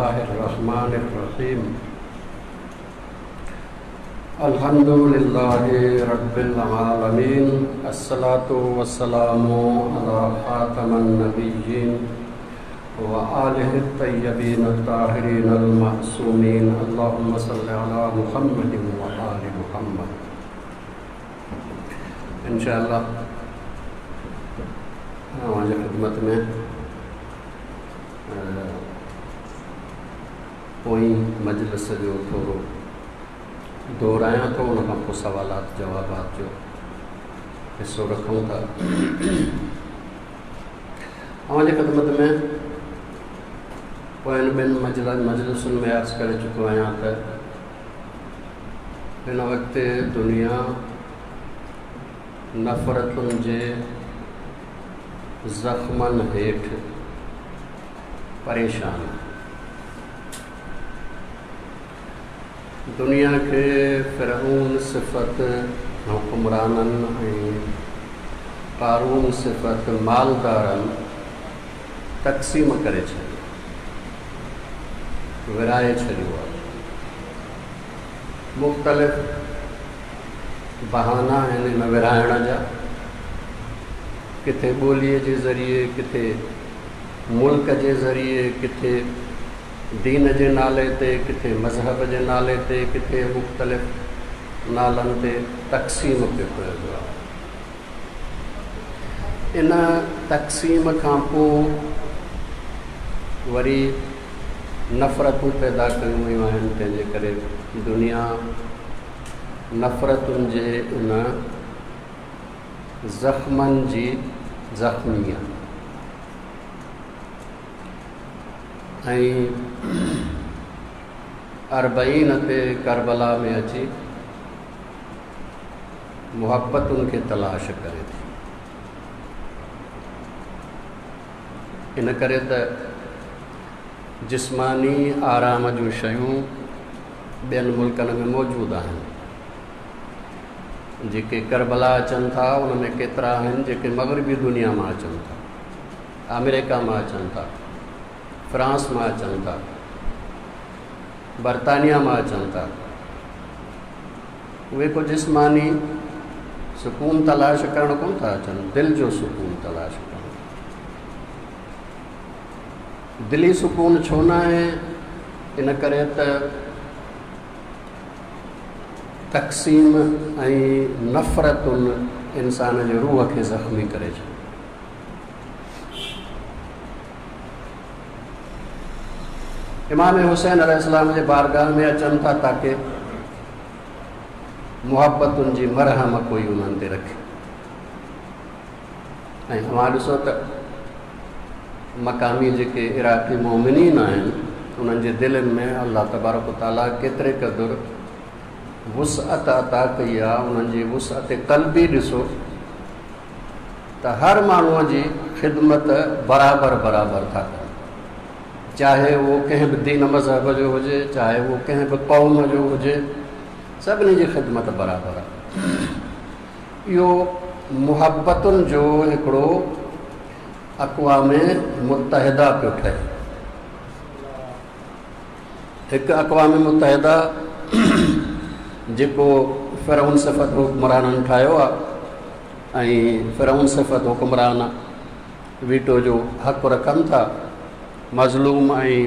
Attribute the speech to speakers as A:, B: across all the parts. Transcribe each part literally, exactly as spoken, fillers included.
A: बिस्मिल्लाहिर्रहमानिर्रहीम। अल्हम्दुलिल्लाहि रब्बिल आलमीन, अस्सलातु वस्सलामु अला खातमन नबिय्यीन व आलिहि तय्यबीन अत्ताहिरीन अल मासूमीन। अल्लाहुम्मा सल्लि अला मुहम्मदिन व आलि मुहम्मद। इंशाअल्लाह अव्हांजे ख़िदमत में पोईं मजलिस जो थोरो दोहरायां थो, उन खां पोइ सवालात जवाबात जो हिसो रखूँ था। अव्हांजी ख़िदमत में पोइन ॿिनि मजल मजलिसुनि में अर्ज़ु करे चुको आहियां त हिन वक़्तु दुनिया नफ़रतुनि जे ज़ख़्मनि हेठि परेशान आहे। दुनिया खे फ़िरऔन सिफ़त हुक्मराननि ऐं क़ारून सिफ़त मालदारनि तक़सीम करे छॾियो, विराए छॾियो आहे। मुख़्तलिफ़ बहाना आहिनि हिन विराइण जा, किथे ॿोलीअ जे ज़रिए, किथे मुल्क जे ज़रिए, किथे दीन जे नाले ते, किथे मज़हब जे नाले ते, किथे मुख़्तलिफ़ नालनि ते तक़सीम पियो कयो वियो आहे। इन तक़सीम खां पोइ वरी नफ़रतूं पैदा कयूं वियूं आहिनि, तंहिंजे करे दुनिया नफ़रतुनि जे इन ज़ख़्मनि जी ज़ख़्मी आहे। ऐं अरबईन ते करबला में अची मुहब्बतुनि खे तलाश करे थी। इन करे त जिस्मानी आराम जूं शयूं ॿियनि मुल्कनि में मौजूदु आहिनि। जेके करबला अचनि था उन में केतिरा आहिनि जेके मग़रबी दुनिया मां अचनि था, अमेरिका मां अचनि था, फ्रांस मां अचनि था, बरतानिया मां अचनि था। उहे को जिस्मानी सुकून तलाश करण कोन था अचनि, दिलि जो सुकून तलाश करणु। दिली सुकून छो न आहे? इन करे त तक़सीम ऐं नफ़रतुनि इंसान जे रूह खे ज़ख़्मी करे छॾियो। इमाम हुसैन अलैहिस्सलाम जे बारगाह में अचनि था ताकि मुहब्बतुनि जी मरहम कोई उन्हनि ते रखे। ऐं तव्हां ॾिसो त मक़ामी जेके इराक़ी मोमिनीन आहिनि उन्हनि जे दिलनि में अलाह तबारक ताला केतिरे क़दुरु वुसअत अता कई आहे। उन्हनि जी वुसअत क़ल्बी ॾिसो त हर माण्हूअ जी ख़िदमत बराबरि बराबरि था कनि, चाहे उहो कंहिं बि दीन मज़हब जो हुजे, चाहे उहो कंहिं बि क़ौम जो हुजे, सभिनी जी ख़िदमत बराबरि आहे। इहो मुहब्बतुनि जो हिकिड़ो अक़वाम मुत्तहिदा पियो ठहे। हिकु अक़वाम मुत्तहिदा जेको फ़िरऔन सिफ़त हुक्मराननि ठाहियो आहे ऐं फ़िरऔन सिफ़त हुक्मरान वीटो जो हक़ रखनि था, मज़लूम ऐं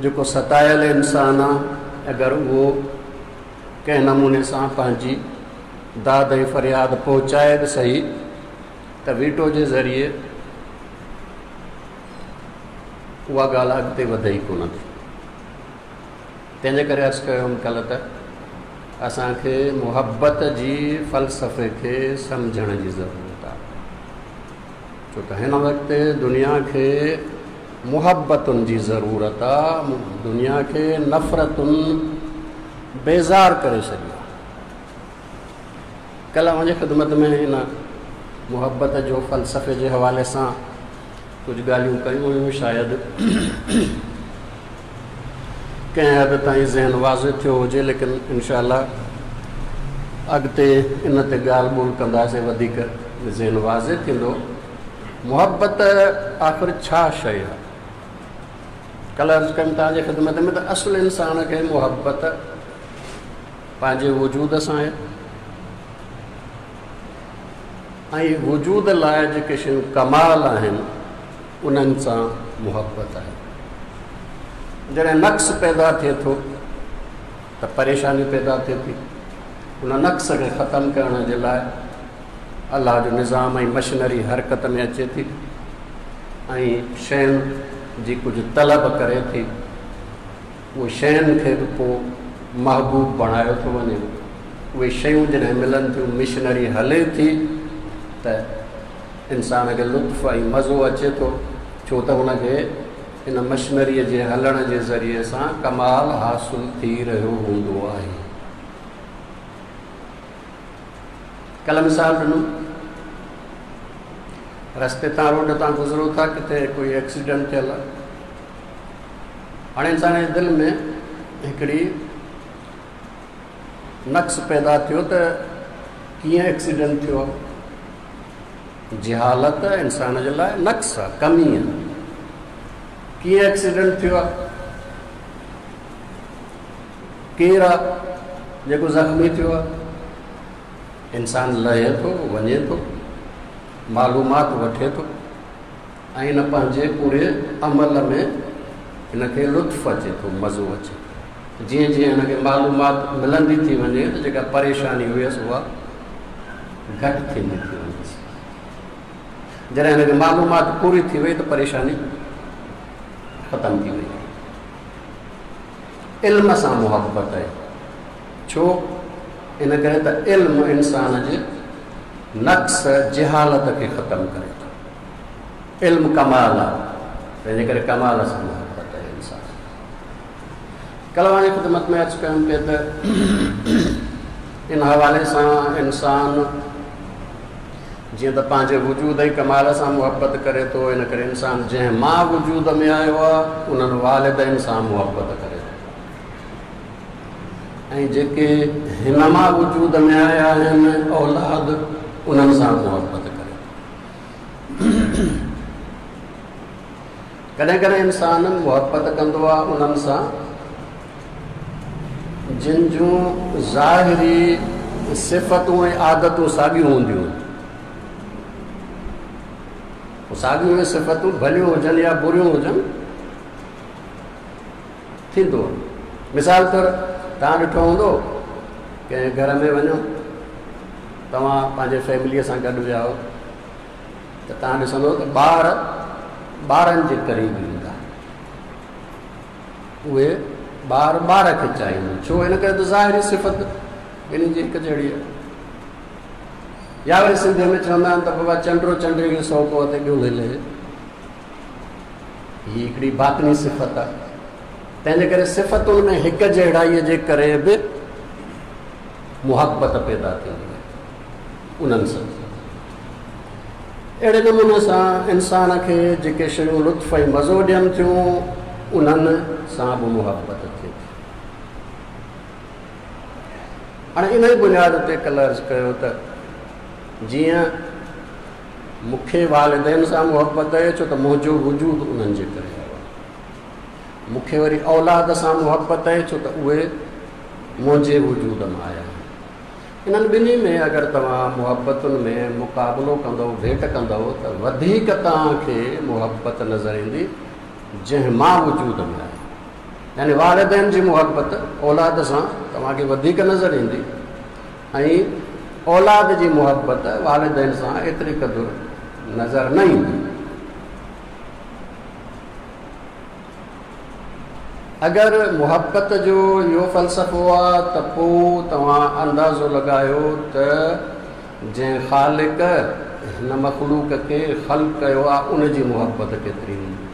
A: जेको सतायल इंसान आहे, अगरि उहो कंहिं नमूने सां पंहिंजी दाद ऐं फ़रियाद पहुचाए बि सही त वीटो जे ज़रिए उहा ॻाल्हि अॻिते वधे ई कोन थी। तंहिंजे करे अर्ज़ु कयो हुअमि कल्ह त असांखे मुहब्बत जी फ़लसफ़े खे सम्झण जी ज़रूरत आहे, छो त हिन वक़्तु दुनिया खे मुहब्बतुनि जी ज़रूरत आहे, दुनिया खे नफ़रतुनि बेज़ार करे छॾियो आहे। कल्ह मुंहिंजी ख़िदमत में हिन मुहब्बत जो फ़लसफ़े जे हवाले सां कुझु ॻाल्हियूं कयूं हुयूं, शायदि कंहिं हद ताईं ज़हन वाज़े थियो हुजे, लेकिन इनशा अॻिते इन ते ॻाल्हि ॿोल कंदासीं, वधीक ज़हन वाज़े थींदो। मुहब्बत आख़िर छा शइ आहे? ڪلهه عرض ڪيم توهان جي خدمت ۾ ته اصل انسان کي محبت پنهنجي وجود سان آهي ۽ وجود لاءِ جيڪي شيون ڪمال آهن انهن سان محبت آهي. جڏهن نقص پيدا ٿئي ٿو ته پريشاني پيدا ٿئي ٿي. ان نقص کي ختم ڪرڻ جي لاءِ الله جو نظام ۽ مشينري حرڪت ۾ اچي ٿي ۽ شين جي ڪجهه طلب ڪري ٿي. اهي شين کي به پوءِ محبوب بڻايو ٿو وڃي. اهي شيون جڏهن ملن ٿيون، مشينري هلي ٿي ته انسان کي لطف ۽ مزو اچي ٿو، ڇو ته هن کي ان مشينريءَ جي هلڻ جي ذريعي سان ڪمال حاصل ٿي رهيو هوندو آهي. ڪلهه مثال ڏنو، رستي تان روڊ تان گذرو ٿا، ڪٿي ڪوئي ايڪسيڊنٽ ٿيل آهي. هاڻي انسان جي دل ۾ هڪڙي نقص پيدا ٿيو ته ڪيئن ايڪسيڊنٽ ٿيو آهي. جهالت انسان جي لاءِ نقص آهي، ڪمي آهي. ڪيئن ايڪسيڊنٽ ٿيو آهي، ڪير آهي جيڪو زخمي ٿيو آهي. انسان لهي ٿو، وڃي ٿو، معلومات وٺي ٿو ۽ هن پنهنجي پوري عمل ۾ هن کي لطف اچي ٿو، مزو اچي ٿو. جيئن جيئن هن کي معلومات ملندي ٿي وڃي ته جيڪا پريشاني هئس اها گهٽ ٿيندي ٿي وڃيس. جڏهن هن کي معلومات پوري ٿي وئي ته پريشاني ختم ٿي وئي. علم سان محبت آهي. ڇو؟ ان ڪري ته علم انسان جي نقص جهالت کي ختم ڪري ٿو. علم ڪمال آهي، تنهنجي ڪري ڪمال سان محبت آهي انسان. ڪلهه واري خدمت ۾ عرض ڪيم پئي ته ان حوالي سان انسان جيئن ته پنهنجي وجود ۽ ڪمال سان محبت ڪري ٿو، ان ڪري انسان جنهن مان وجود ۾ آيو آهي انهن والدين سان محبت ڪري ٿو ۽ جيڪي هن مان وجود ۾ آيا آهن اولاد، انهن سان محبت ڪري ٿو. ڪڏهن ڪڏهن انسان محبت ڪندو آهي انهن سان جن جون ظاهري صفتون ۽ عادتون ساڳيون هونديون آهن. ساڳيون صفتون ڀليون هجن يا بريون هجن، ٿيندو آهي. مثال طور توهان ڏٺو هوندو ڪنهن گهر ۾ وڃو، توهان پنهنجي فيمليءَ سان گڏ ويا آهيو ته توهان ڏسندو ته ٻار ٻارن جي قريب ايندا، اهي ٻار ٻار کي چاهيندا. ڇو؟ ان ڪري ته ظاهري صفت ٻنهي جي هڪ جهڙي آهي. يا وري سنڌيءَ ۾ چوندا آهن ته بابا چنڊو چنڊي کي سؤ ڪو تي ٻيو هلي. هيءَ هڪڙي باطني صفت آهي. تنهن جي ڪري صفتن ۾ هڪ جهڙائيءَ جي ڪري به محبت پيدا ٿيندي آهي انهن سان. اهڙي نموني سان انسان کي جيڪي شيون لطف ۽ مزو ڏين ٿيون انهن سان به محبت ٿئي ٿي. هاڻي ان ئي بنياد تي ڪلهه عرض ڪيو ته جيئن مون کي والدين سان محبت آهي، ڇو ته منهنجو وجود انهن جي ڪري آيو آهي. مون کي وري اولاد سان محبت آهي، ڇو ته اهي منهنجي وجود مان آيا آهن. انهن ٻنهي ۾ اگر توهان محبتن ۾ مقابلو ڪندؤ، ڀيٽ ڪندؤ ته وڌيڪ توهان کي محبت نظر ايندي جنهن مان وجود ۾ آهي. يعني والدين جي محبت اولاد سان توهان کي وڌيڪ نظر ايندي ۽ اولاد جي محبت والدين سان ايتري قدر نظر نه ايندي. اگر محبت جو اهو فلسفو آهي ته پوءِ توهان اندازو لڳايو ته جنهن خالق هن مخلوق کي خلق ڪيو آهي ان جي محبت ڪيتري هوندي.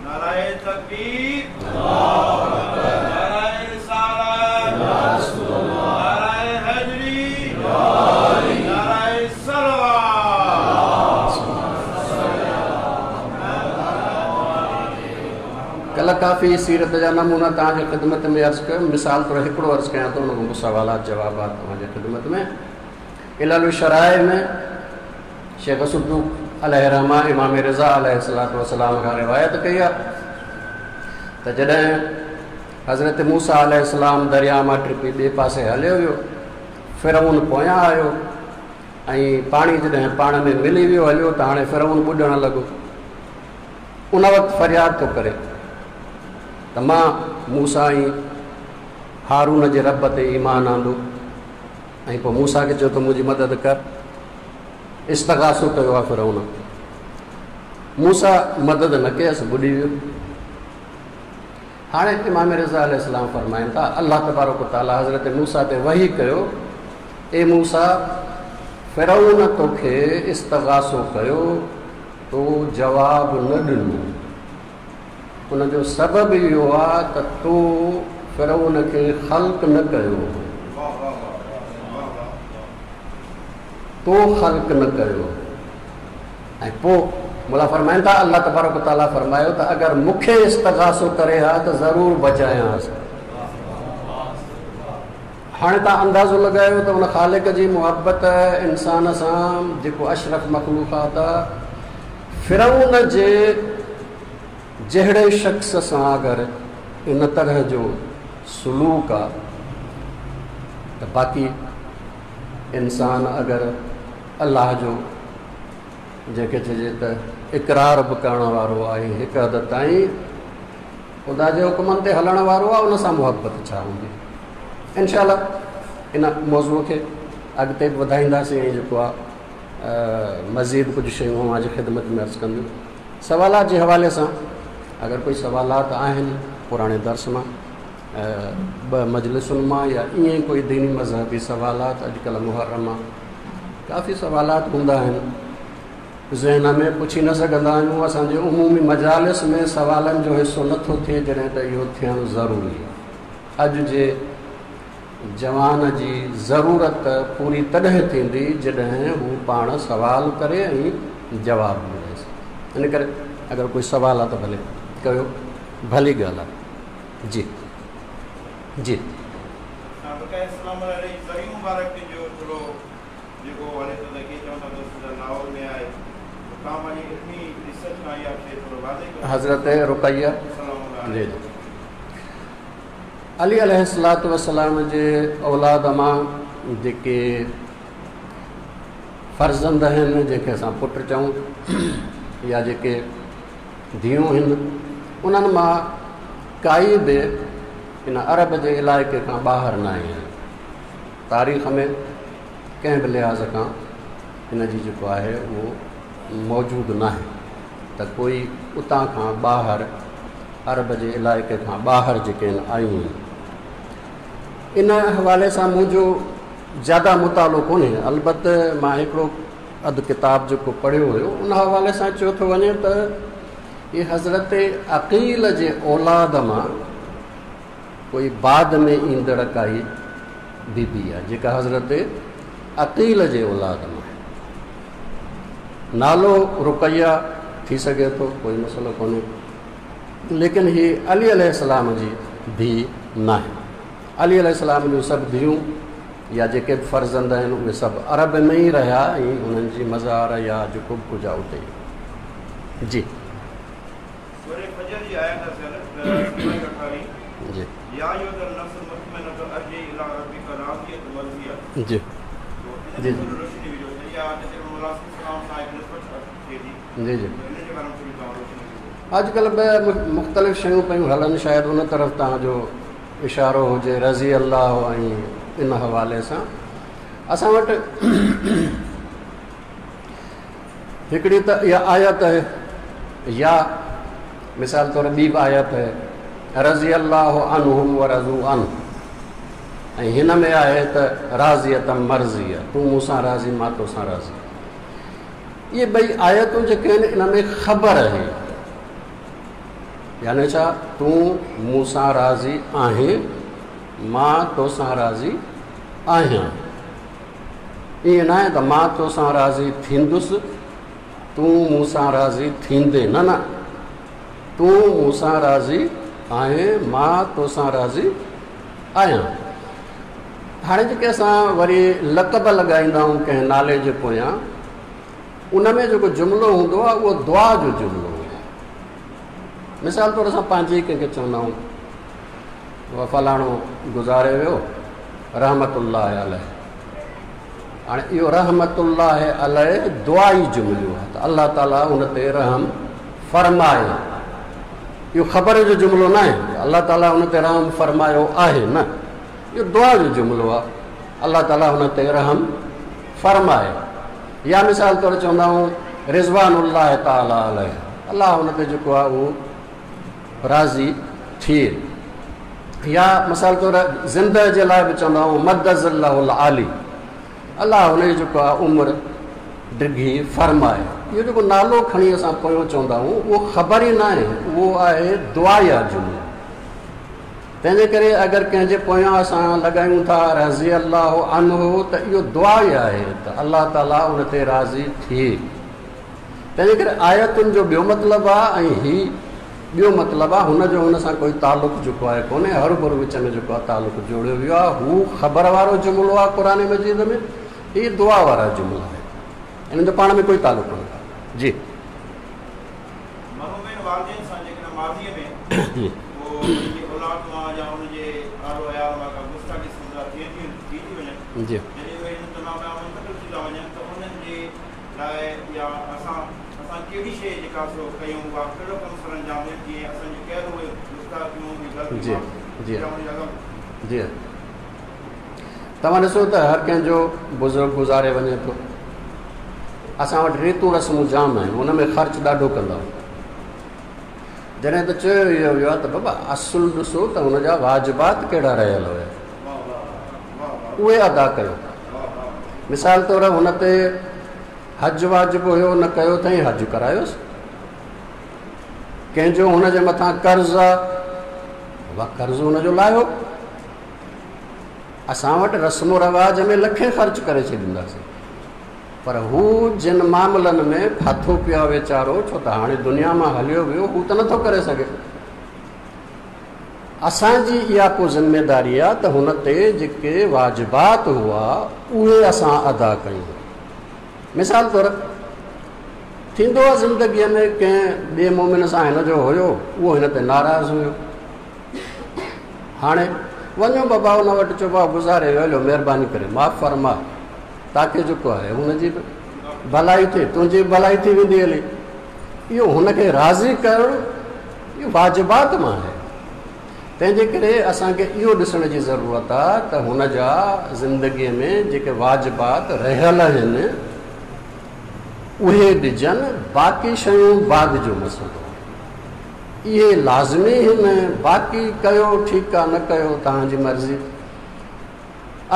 B: نعرہ تکبیر، نعرہ رسالت، نعرہ حیدری، نعرہ صلوات.
A: ڪلهه ڪافي سيرت جا نمونا توهان جي خدمت ۾ عرض ڪيو. مثال طور هڪڙو عرض ڪيان ٿو، هن کان پوءِ سوالات جوابات توهان جي خدمت ۾. علل الشرائع ۾ شيخ صدوق عليه الرحمة امام رضا عليه الصلوة والسلام کان روايت ڪئي آهي ته جڏهن حضرت موسيٰ عليه السلام درياء مان ٽپي ٻئي پاسي هليو ويو، فرعون پويان آيو ۽ پاڻي جڏهن پاڻ ۾ ملي ويو هليو ته هاڻي فرعون ٻڏڻ لڳو. ان وقت فرياد ٿو ڪري ته مان موسيٰ ۽ هارون جي رب تي ايمان آندو ۽ پوءِ موسيٰ کي چيو ته منهنجي مدد ڪر. استغاثو ڪيو آهي فرعون، موسيٰ مدد نه ڪيس، ٻڏي ويو. هاڻي امام رضا عليه السلام فرمائن ٿا الله تبارڪ وتعاليٰ حضرت موسيٰ تي وحي ڪيو، اي موسيٰ فرعون توکي استغاثو ڪيو، تو جواب نه ڏنو. ان جو سبب اهو آهي ته تو فرعون کي خلق نه ڪيو، تو خلق نه ڪيو. ۽ پوءِ مولا فرمائن ٿا الله تبارڪ وتعاليٰ فرمايو ته اگر مون کي استغاثو ڪري ها ته ضرور بچايانس. هاڻي توهان اندازو لڳايو ته ان خالق جي محبت انسان سان جيڪو اشرف مخلوقات آهي، فرعون جي جهڙي شخص سان اگر ان طرح جو سلوڪ آهي ته باقي انسان اگر الله جو جنهن کي چئجي ته اقرار به ڪرڻ وارو آهي، هڪ حد تائين خدا جي حڪمن تي هلڻ وارو آهي، ان سان محبت ڇا هوندي؟ انشا الله ان موضوع کي اڳتي به وڌائينداسين ۽ جيڪو آهي مزيد ڪجهه شيون اوهان جي خدمت ۾ عرض ڪنديون. سوالات جي حوالي سان اگر ڪوئي سوالات آهن پراڻي درس مان، ٻه مجلسن مان، يا ائين ڪوئي ديني مذهبي سوالات، اڄڪلهه محرم ڪافي سوالات هوندا آهن ذهن ۾ پڇي نه سگهندا آهيون. اسان جي عمومي مجالس ۾ سوالن جو حصو نٿو ٿئي، جڏهن ته اهو ٿيڻ ضروري آهي. اڄ جي جوان جي ضرورت پوري تڏهن ٿيندي جڏهن هو پاڻ سوال ڪري ۽ جواب مليس. ان ڪري اگر ڪوئي سوال آهي ته ڀلي ڪيو، ڀلي ڳالهه آهي. جي جي حضرت رقيه جي جي علي عليه الصلوة والسلام جي اولاد مان جيڪي فرزند آهن، جنهن کي اسان پٽ چئون، يا جيڪي ڌيئون آهن، انهن مان ڪائي به ان عرب جي علائقي کان ٻاهر نه آئي آهن. تاريخ ۾ ڪنهن به لحاظ کان هن جي جيڪو آهي اهو موجود نه آهي ته ڪوئي اتان کان ٻاهر عرب جي علائقي کان ٻاهر جيڪي آهن آيون آهن. ان حوالي سان منهنجو زياده مطالعو ڪونهي، البته مان هڪڙو اڌ ڪتاب جيڪو پڙهيو هيو ان حوالي سان چيو ٿو وڃي ته هي حضرت عقيل جي اولاد مان ڪوئي بعد ۾ ايندڙ ڪائي بيبي آهي جيڪا حضرت عقيل جي اولاد مان آهي. نالو رقيه ٿي سگهي ٿو، ڪوئي مسئلو ڪونهي، ليڪن هي علي عليه السلام جي ڌيءُ نه آهي. علي عليه السلام جون سڀ ڌيئون يا جيڪي به فرزند آهن اهي سڀ عرب ۾ ئي رهيا ۽ انهن جي مزار يا جيڪو به ڪجهه آهي اتي ئي. جي جي جي جي جي جي اڄڪلهه ٻه مختلف شيون پيون هلن، شايد ان طرف توهان جو اشارو هجي رضي الله ۽ ان حوالي سان. اسان وٽ هڪڙي ته اها آيت آهي، يا مثال طور ٻي به آيت آهي رضي الله عنهم ورضوا عنه، ۽ هن ۾ آهي ته راضية مرضية، تون مون سان راضي مان تو سان راضي. اهي ٻئي آيتون جيڪي آهن ان ۾ خبر آهي، يعني ڇا تون مون سان راضي آهين مان تو سان راضي آهيان. ائين نه آهي ته مان تو سان راضي ٿيندس تون مون سان راضي ٿيندي، نه نه، تون مون سان راضي آهين مان تو سان راضي آهيان. هاڻي جيڪي اسان وري لقب لڳائيندا آهيون ڪنهن نالي جي پويان، उन में जेको जुमिलो हूंदो आहे उहो दुआ जो जुमिलो हूंदो आहे। मिसाल तौर असां पंहिंजे ई कंहिंखे चवंदा आहियूं फलाणो गुज़ारे वियो रहमतुल्लाह अलैह। हाणे इहो रहमतुल्लाह अलैह दुआ ई जुमिलो आहे त अलाह ताला उन ते रहम फरमाए। इहो ख़बर जो जुमिलो न आहे अलाह ताला उन ते रहम फरमायो आहे न, इहो दुआ जो जुमिलो आहे अलाह ताला उन ते रहम फरमाए। या मिसाल तौर चवंदा आहियूं रिज़वानुल्लाह ताला अलैह, अलाह उन ते जेको आहे उहो राज़ी थिए। या मिसाल तौर ज़िंदा जे लाइ बि चवंदा आहियूं मद्दज़िल्लाहुल आली, अलाह हुनजी जेको आहे उमिरि डिघी फरमाए। इहो जेको नालो खणी असां पोयों चवंदा आहियूं उहो ख़बर ई न आहे, उहो आहे दुआ या जुमिलो। तंहिंजे करे अगरि कंहिंजे पोयां असां लॻायूं था रज़ी अल्लाह अन्हु त इहो दुआ ई आहे त अलाह ताला उन ते राज़ी थिए। तंहिंजे करे आयतुनि जो ॿियो मतिलबु आहे ऐं हीउ ॿियो मतिलबु आहे, हुनजो हुन सां कोई तालुक़ु जेको आहे कोन्हे, हर भरू विच में जेको आहे तालुक़ु जोड़ियो वियो आहे। हू ख़बर वारो जुमिलो आहे क़ुर मजीद में, हीउ दुआ वारा जुमिला आहिनि, इन्हनि जो पाण में कोई तालुक़ु कोन्हे। जी जी जी जी जी जी तव्हां ॾिसो त हर कंहिंजो बुज़ुर्ग गुज़ारे वञे थो। असां वटि रीतूं रस्मूं जाम आहिनि, उन में ख़र्चु ॾाढो कंदा आहियूं। जॾहिं त चयो इहो वियो आहे त बाबा असुलु ॾिसो त हुनजा वाजिबात कहिड़ा रहियल हुया उहे अदा कयो। मिसाल तौर हुन ते हज वाजिब हुयो न कयो अथई हज करायोसि। कंहिंजो हुनजे मथां कर्ज़ आहे बाबा कर्ज़ हुनजो लाहियो। असां वटि रस्मो रवाज में लखे ख़र्चु करे छॾींदासीं, पर हू जिन मामलनि में फाथो पियो आहे वीचारो, छो त हाणे दुनिया मां हलियो वियो, हू त नथो करे सघे। असांजी इहा को ज़िम्मेदारी आहे त हुन ते जेके वाजिबात हुआ उहे असां अदा कयूं। मिसाल तौरु थींदो आहे ज़िंदगीअ में कंहिं ॿिए मोमिन सां हिन जो हुयो, उहो हिन ते नाराज़ हुयो। हाणे वञो बाबा हुन वटि, चओ बाबा गुज़ारे वियो, हलियो महिरबानी करे माफ़ फरमा, ताकी जेको आहे हुनजी बि भलाई थिए, तुंहिंजी बि भलाई थी वेंदी हली। इहो हुनखे राज़ी करणु इहो वाजिबात मां आहे। तंहिंजे करे असांखे इहो ॾिसण जी ज़रूरत आहे त हुन जा ज़िंदगीअ में जेके वाजिबात रहियल आहिनि उहे ॾिजनि, बाक़ी शयूं बाद जो मसइलो आहे। इहे लाज़मी आहिनि, बाक़ी कयो ठीकु आहे, न कयो तव्हांजी मर्ज़ी।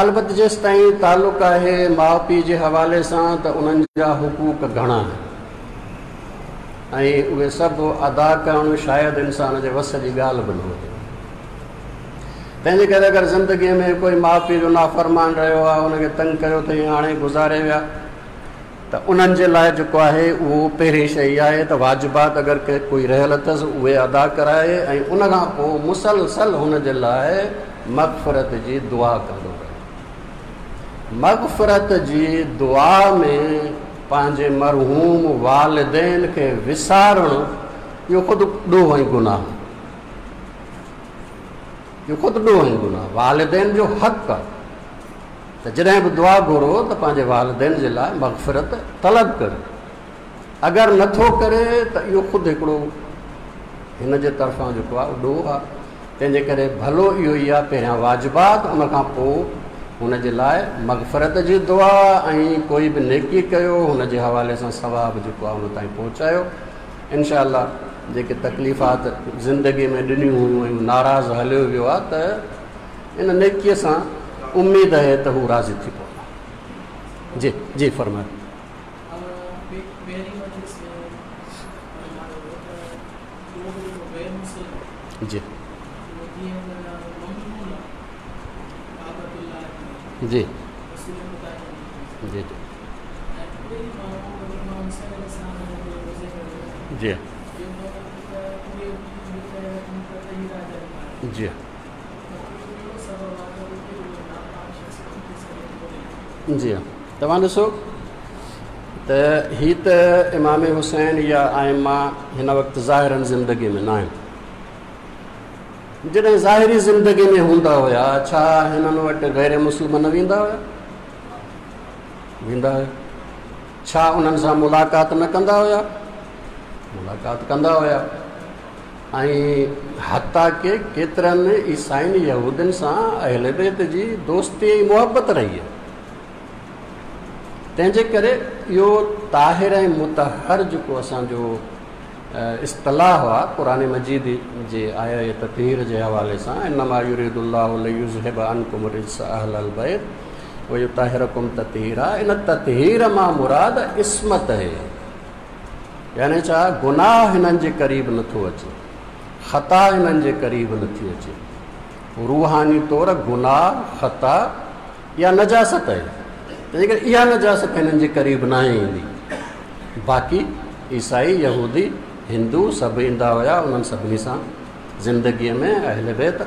A: अलबत जेसि ताईं तालुक़ु आहे माउ पीउ जे हवाले सां त उन्हनि जा हुकूक घणा आहिनि ऐं उहे सभु अदा करणु शायदि इंसान जे वस जी ॻाल्हि बि न हुजे। तंहिंजे करे अगरि ज़िंदगीअ में कोई माउ पीउ जो नाफ़रमान रहियो आहे, हुनखे तंग कयो अथई, हाणे गुज़ारे विया, त उन्हनि जे लाइ जेको आहे उहो पहिरीं शइ आहे त वाजिबात अगरि के कोई रहियल अथसि उहे अदा कराए ऐं उन खां पोइ मुसलसल हुन जे लाइ मग़फ़िरत जी दुआ कंदो रहे। मग़फ़िरत जी दुआ में पंहिंजे मरहूम वालिदैन खे विसारणु इहो ख़ुदि ॾोह ऐं गुनाह, इहो ख़ुदि ॾोह ऐं गुनाह। वालिदैन जो हक़ आहे त जॾहिं बि दुआ घुरो त पंहिंजे वालिदैन जे लाइ मग़फ़िरत तलब करे। अगरि नथो करे त इहो ख़ुदि हिकिड़ो हिन जे तरफ़ां जेको आहे ॾोह आहे। तंहिंजे करे भलो इहो ई आहे पहिरियां वाजिबात, उन खां पोइ हुन जे लाइ मग़फ़िरत जी दुआ ऐं कोई बि नेकी कयो हुन जे हवाले सां सवाब जेको आहे हुन ताईं पहुचायो। इनशा अल्लाह जेके तकलीफ़ात ज़िंदगीअ में ॾिनियूं हुयूं ऐं नाराज़ हलियो वियो आहे त इन नेकीअ सां उमेद आहे त हू राज़ी थी पवंदो। जी जी फरमाए। जी जी जी जी जी जी हाँ। तव्हां ॾिसो ته هي ته امام حسين يا آئما هن وقت ظاهرن زندگي ۾ نه آهن. جڏهن ظاهري زندگي ۾ هوندا هئا، ڇا هنن وٽ غير مسلمان ويندا هئا؟ ويندا هئا. ڇا انهن سان ملاقات نه ڪندا هئا؟ ملاقات ڪندا هئا. ۽ حتيٰ ڪه ڪيترن عيسائين يهودين سان اهل بيت جي دوستي ۽ محبت رهي آهي. تنهن جي ڪري اهو طاهر ۽ مطهر جيڪو اسانجو اصطلاح آهي قرآن مجيد جي آيا تطهير جي حوالي سان، انما يريد الله ليذهب عنڪم الرجس اهل البيت ويطهرڪم تطهيرا، ان تطهير مان مراد عصمت آهي. يعني ڇا گناهه هنن جي قريب نٿو اچي، خطا هنن جي قريب نٿي اچي. روحاني طور گناهه، خطا يا نجاست آهي، تنهن ڪري اها نجاست هنن جي قريب نه ايندي. باقي عيسائي، يهودي، هندو سڀ ايندا هئا، انهن سڀني سان زندگيءَ ۾ اهل بيت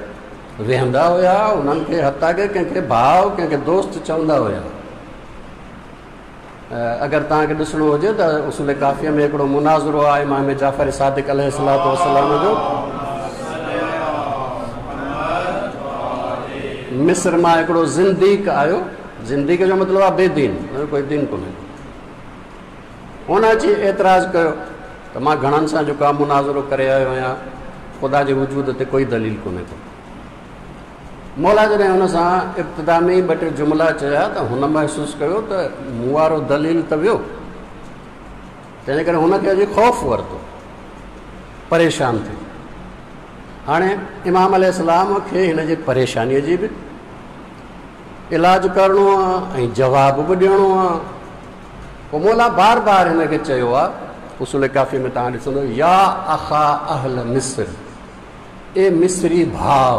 A: ويهندا هئا. انهن کي حتيٰ ڪه ڪنهن کي ڀاءُ، ڪنهن کي دوست چوندا هئا. اگر توهان کي ڏسڻو هجي ته اصول ڪافيءَ ۾ هڪڙو مناظرو آهي امام جعفر صادق عليه الصلوة والسلام جو. مصر مان هڪڙو زنديق آيو. زنديق جو مطلب آهي بي دين، ڪوئي دين ڪونهي. هن اچي اعتراض ڪيو ته مان گهڻن سان جيڪو آهي مناظرو ڪري آيو آهيان، خدا جي وجود تي ڪوئي دليل ڪونهي ڪو. مولا جڏهن هن سان ابتدا ۾ ئي ٻه ٽي جملا چيا ته هن محسوس ڪيو ته مون وارو دليل ته ويو، تنهن ڪري هن کي اڄ خوف ورتو، پريشان ٿيو. هاڻي امام عليه السلام کي هن جي پريشانيءَ جي به علاج ڪرڻو آهي ۽ جواب به ڏيڻو آهي. پوءِ مولا بار بار هن کي چيو آهي، اصول ڪافي ۾ توهان ڏسندو، يا اخا اهل مصر، اي مصري ڀاءُ،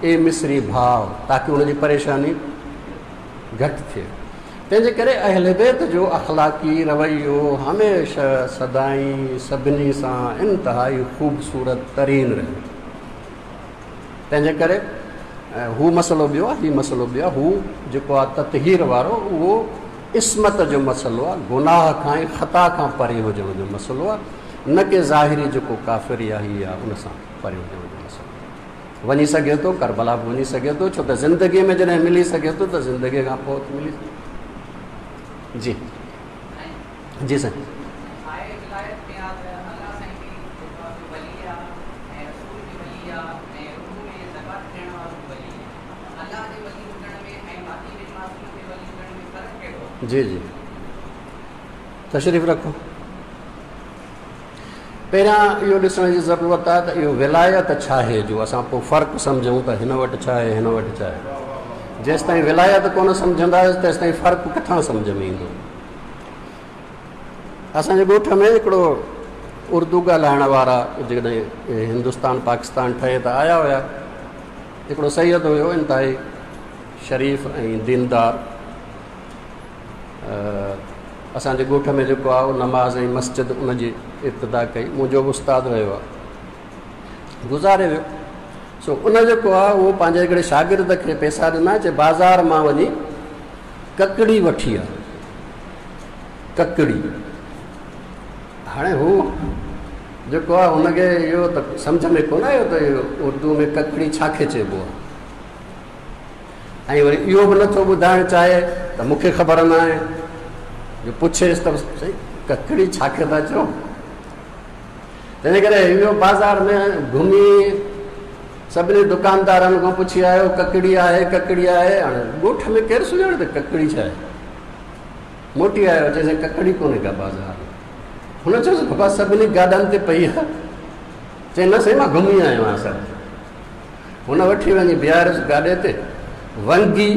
A: اي مصري ڀاءُ، تاڪه هن جي پريشاني گهٽ ٿئي. تنهن جي ڪري اهل بيت جو اخلاقي رويو هميشه سدائين سڀني سان انتهائي خوبصورت ترين رهيو. تنهن جي ڪري هو مسئلو ٻيو آهي، هيءُ مسئلو ٻيو آهي. هو جيڪو آهي تطهير وارو، اهو عصمت جو مسئلو آهي، گناهه کان ۽ خطا کان پري هجڻ جو مسئلو آهي، نه ڪه ظاهري جيڪو ڪافر يا هيءَ آهي ان سان پري هجڻ جو مسئلو. وڃي سگهي ٿو، ڪربلا به وڃي سگهي ٿو، ڇو ته زندگيءَ ۾ جڏهن ملي سگهي ٿو ته زندگيءَ کان پوءِ ملي. جي جي سائين. جي جي تشريف رکو. پهريان اهو ڏسڻ جي ضرورت آهي ته اهو ولايت ڇا آهي، جو اسان پوءِ فرق سمجهون ته هن وٽ ڇا آهي، هن وٽ ڇا آهي. جيس تائين ولايت ڪونه سمجهنداسين تيس تائين فرق ڪٿان سمجهه ۾ ايندو. اسان جي ڳوٺ ۾ هڪڙو اردو ڳالهائڻ وارا جيڪڏهن هندستان پاڪستان ٺهي ته آيا هئا، هڪڙو سيد هيو، انتهائي شريف ۽ ديندار. اسان جي ڳوٺ ۾ جيڪو آهي نماز ۽ مسجد ان جي ابتدا ڪئي. منهنجو به استاد رهيو آهي، گذاري ويو. سو ان جيڪو آهي اهو پنهنجي هڪڙي شاگرد کي پئسا ڏنا، چئي بازار مان وڃي ڪڪڙي وٺي آهي، ڪڪڙي. هاڻي هو جيڪو آهي هن کي اهو ته سمجهه ۾ ڪونه آيو ته اهو اردو ۾ ڪڪڙي ڇا کي چئبو آهي، ۽ وري اهو به نٿو ٻڌائڻ چاهي ته مون کي خبر نه آهي، جو پڇيس ته سائين ڪڪڙي ڇا کي ٿا چئو. تنهن جي ڪري اهو بازار ۾ گهمي سڀني دڪاندارن کان پڇي آيو ڪڪڙي آهي، ڪڪڙي آهي. هاڻي ڳوٺ ۾ ڪير سڃاڻي ته ڪڪڙي ڇا آهي. موٽي آيو، چئي سائين ڪڪڙي ڪونهي ڪا بازار ۾. هن چيوس بابا سڀني گاڏن تي پئي آهي. چئي نه سائين مان گهمي آيو آهيان سڀ. هن وٺي وڃي بيهاريس گاڏي تي، ونگي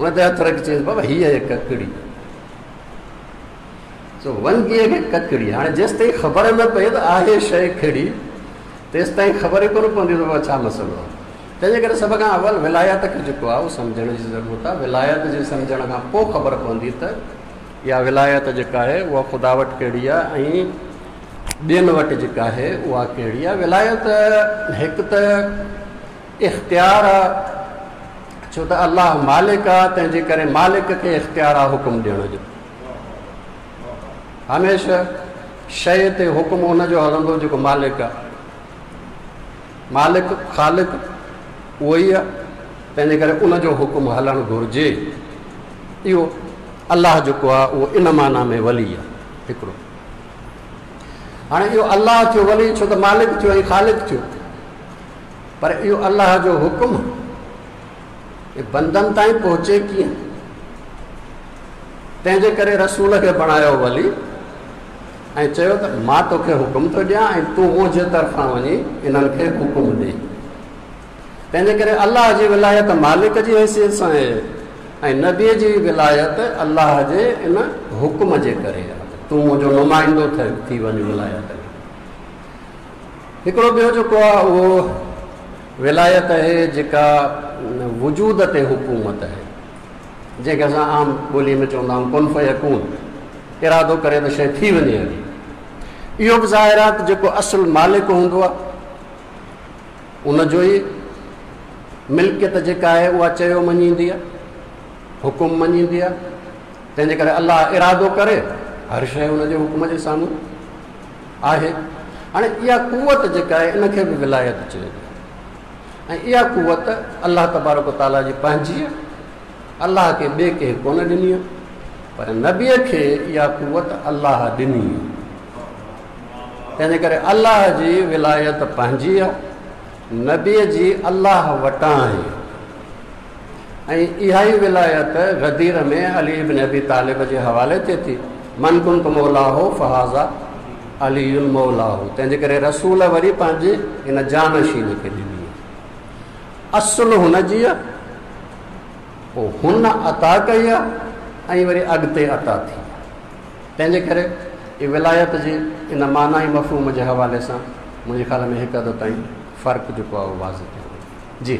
A: هن تي هٿ رکي چيس بابا هيءَ آهي ڪڪڙي. سو ونگيءَ کي ڪڪڙي. هاڻي جيس تائين خبر نه پئي ته آهي شيءِ ڪهڙي، تيس تائين خبر ئي ڪونه پوندي ته بابا ڇا مسئلو آهي. تنهن جي ڪري سڀ کان اول ولايت کي جيڪو آهي اهو سمجهڻ جي ضرورت آهي. ولايت جي سمجهڻ کان پوءِ خبر پوندي ته اها ولايت جيڪا آهي اها خدا وٽ ڪهڙي آهي ۽ ٻين وٽ جيڪا آهي اها ڪهڙي آهي. ولايت هڪ ته اختيار آهي، ڇو ته الله مالڪ آهي، تنهن جي ڪري مالڪ کي اختيار آهي حڪم ڏيڻ جو. هميشه شيءِ تي حڪم ان جو هلندو جيڪو مالڪ آهي. مالڪ خالق اهو ئي آهي، تنهن جي ڪري ان جو حڪم هلڻ گهرجي. اهو الله جيڪو آهي اهو ان معنيٰ ۾ ولي آهي هڪڙو. هاڻي اهو الله ٿيو ولي ڇو ته مالڪ ٿيو ۽ خالق ٿيو، پر اهو الله جو حڪم بندن تائين پهچي ڪيئن؟ تنهن جي ڪري رسول کي بڻايو ولي ۽ چيو ته مان توکي حڪم ٿو ڏيان ۽ تون منهنجي طرفان وڃي انهن کي حڪم ڏي. تنهن جي ڪري الله جي ولايت مالڪ جي حيثيت سان آهي ۽ نبيءَ جي ولايت الله جي ان حڪم جي ڪري آهي. تون منهنجو نمائندو ٿي وڃ ولايت ۾. هڪڙو ٻيو جيڪو آهي اهو ولايت آهي جيڪا وجود تي حڪومت آهي، جنهن کي اسان عام ٻوليءَ ۾ چوندا آهيون ڪن فيڪون، ارادو ڪري ته شيءِ ٿي وڃي هلي. اهو به ظاهر آهي ته جيڪو اصل مالڪ هوندو آهي ان جو ئي ملڪيت جيڪا آهي اها چيو مڃيندي آهي، حڪم مڃيندي آهي. تنهن جي ڪري الله ارادو ڪري هر شيءِ هن جي حڪم جي سامهون آهي. هاڻي اها قوت جيڪا آهي ان کي به ولايت چئبو آهي ۽ اها قوت الله تبارڪ تعاليٰ جي پنهنجي آهي، الله کي ٻئي ڪنهن ڪونه ڏني آهي، پر نبيءَ کي اها قوت الله ڏني آهي. تنهن جي ڪري الله جي ولايت پنهنجي آهي، نبيءَ جي الله وٽان آهي. ۽ اها ئي ولايت غدير ۾ علي بن ابي طالب جي حوالي ٿئي ٿي، من ڪنت مولاه فهذا علي مولاه. تنهن جي ڪري رسول وري پنهنجي هن جانشين کي ڏني. اصل هن جي آهي، پوءِ هن عطا ڪئي آهي ۽ وري اڳتي عطا ٿي. تنهن جي ڪري اها ولايت جي ان معنيٰ ۽ مفهوم جي حوالي سان منهنجي خيال ۾ هڪ حد تائين فرق جيڪو آهي اهو واضح ٿيو. جي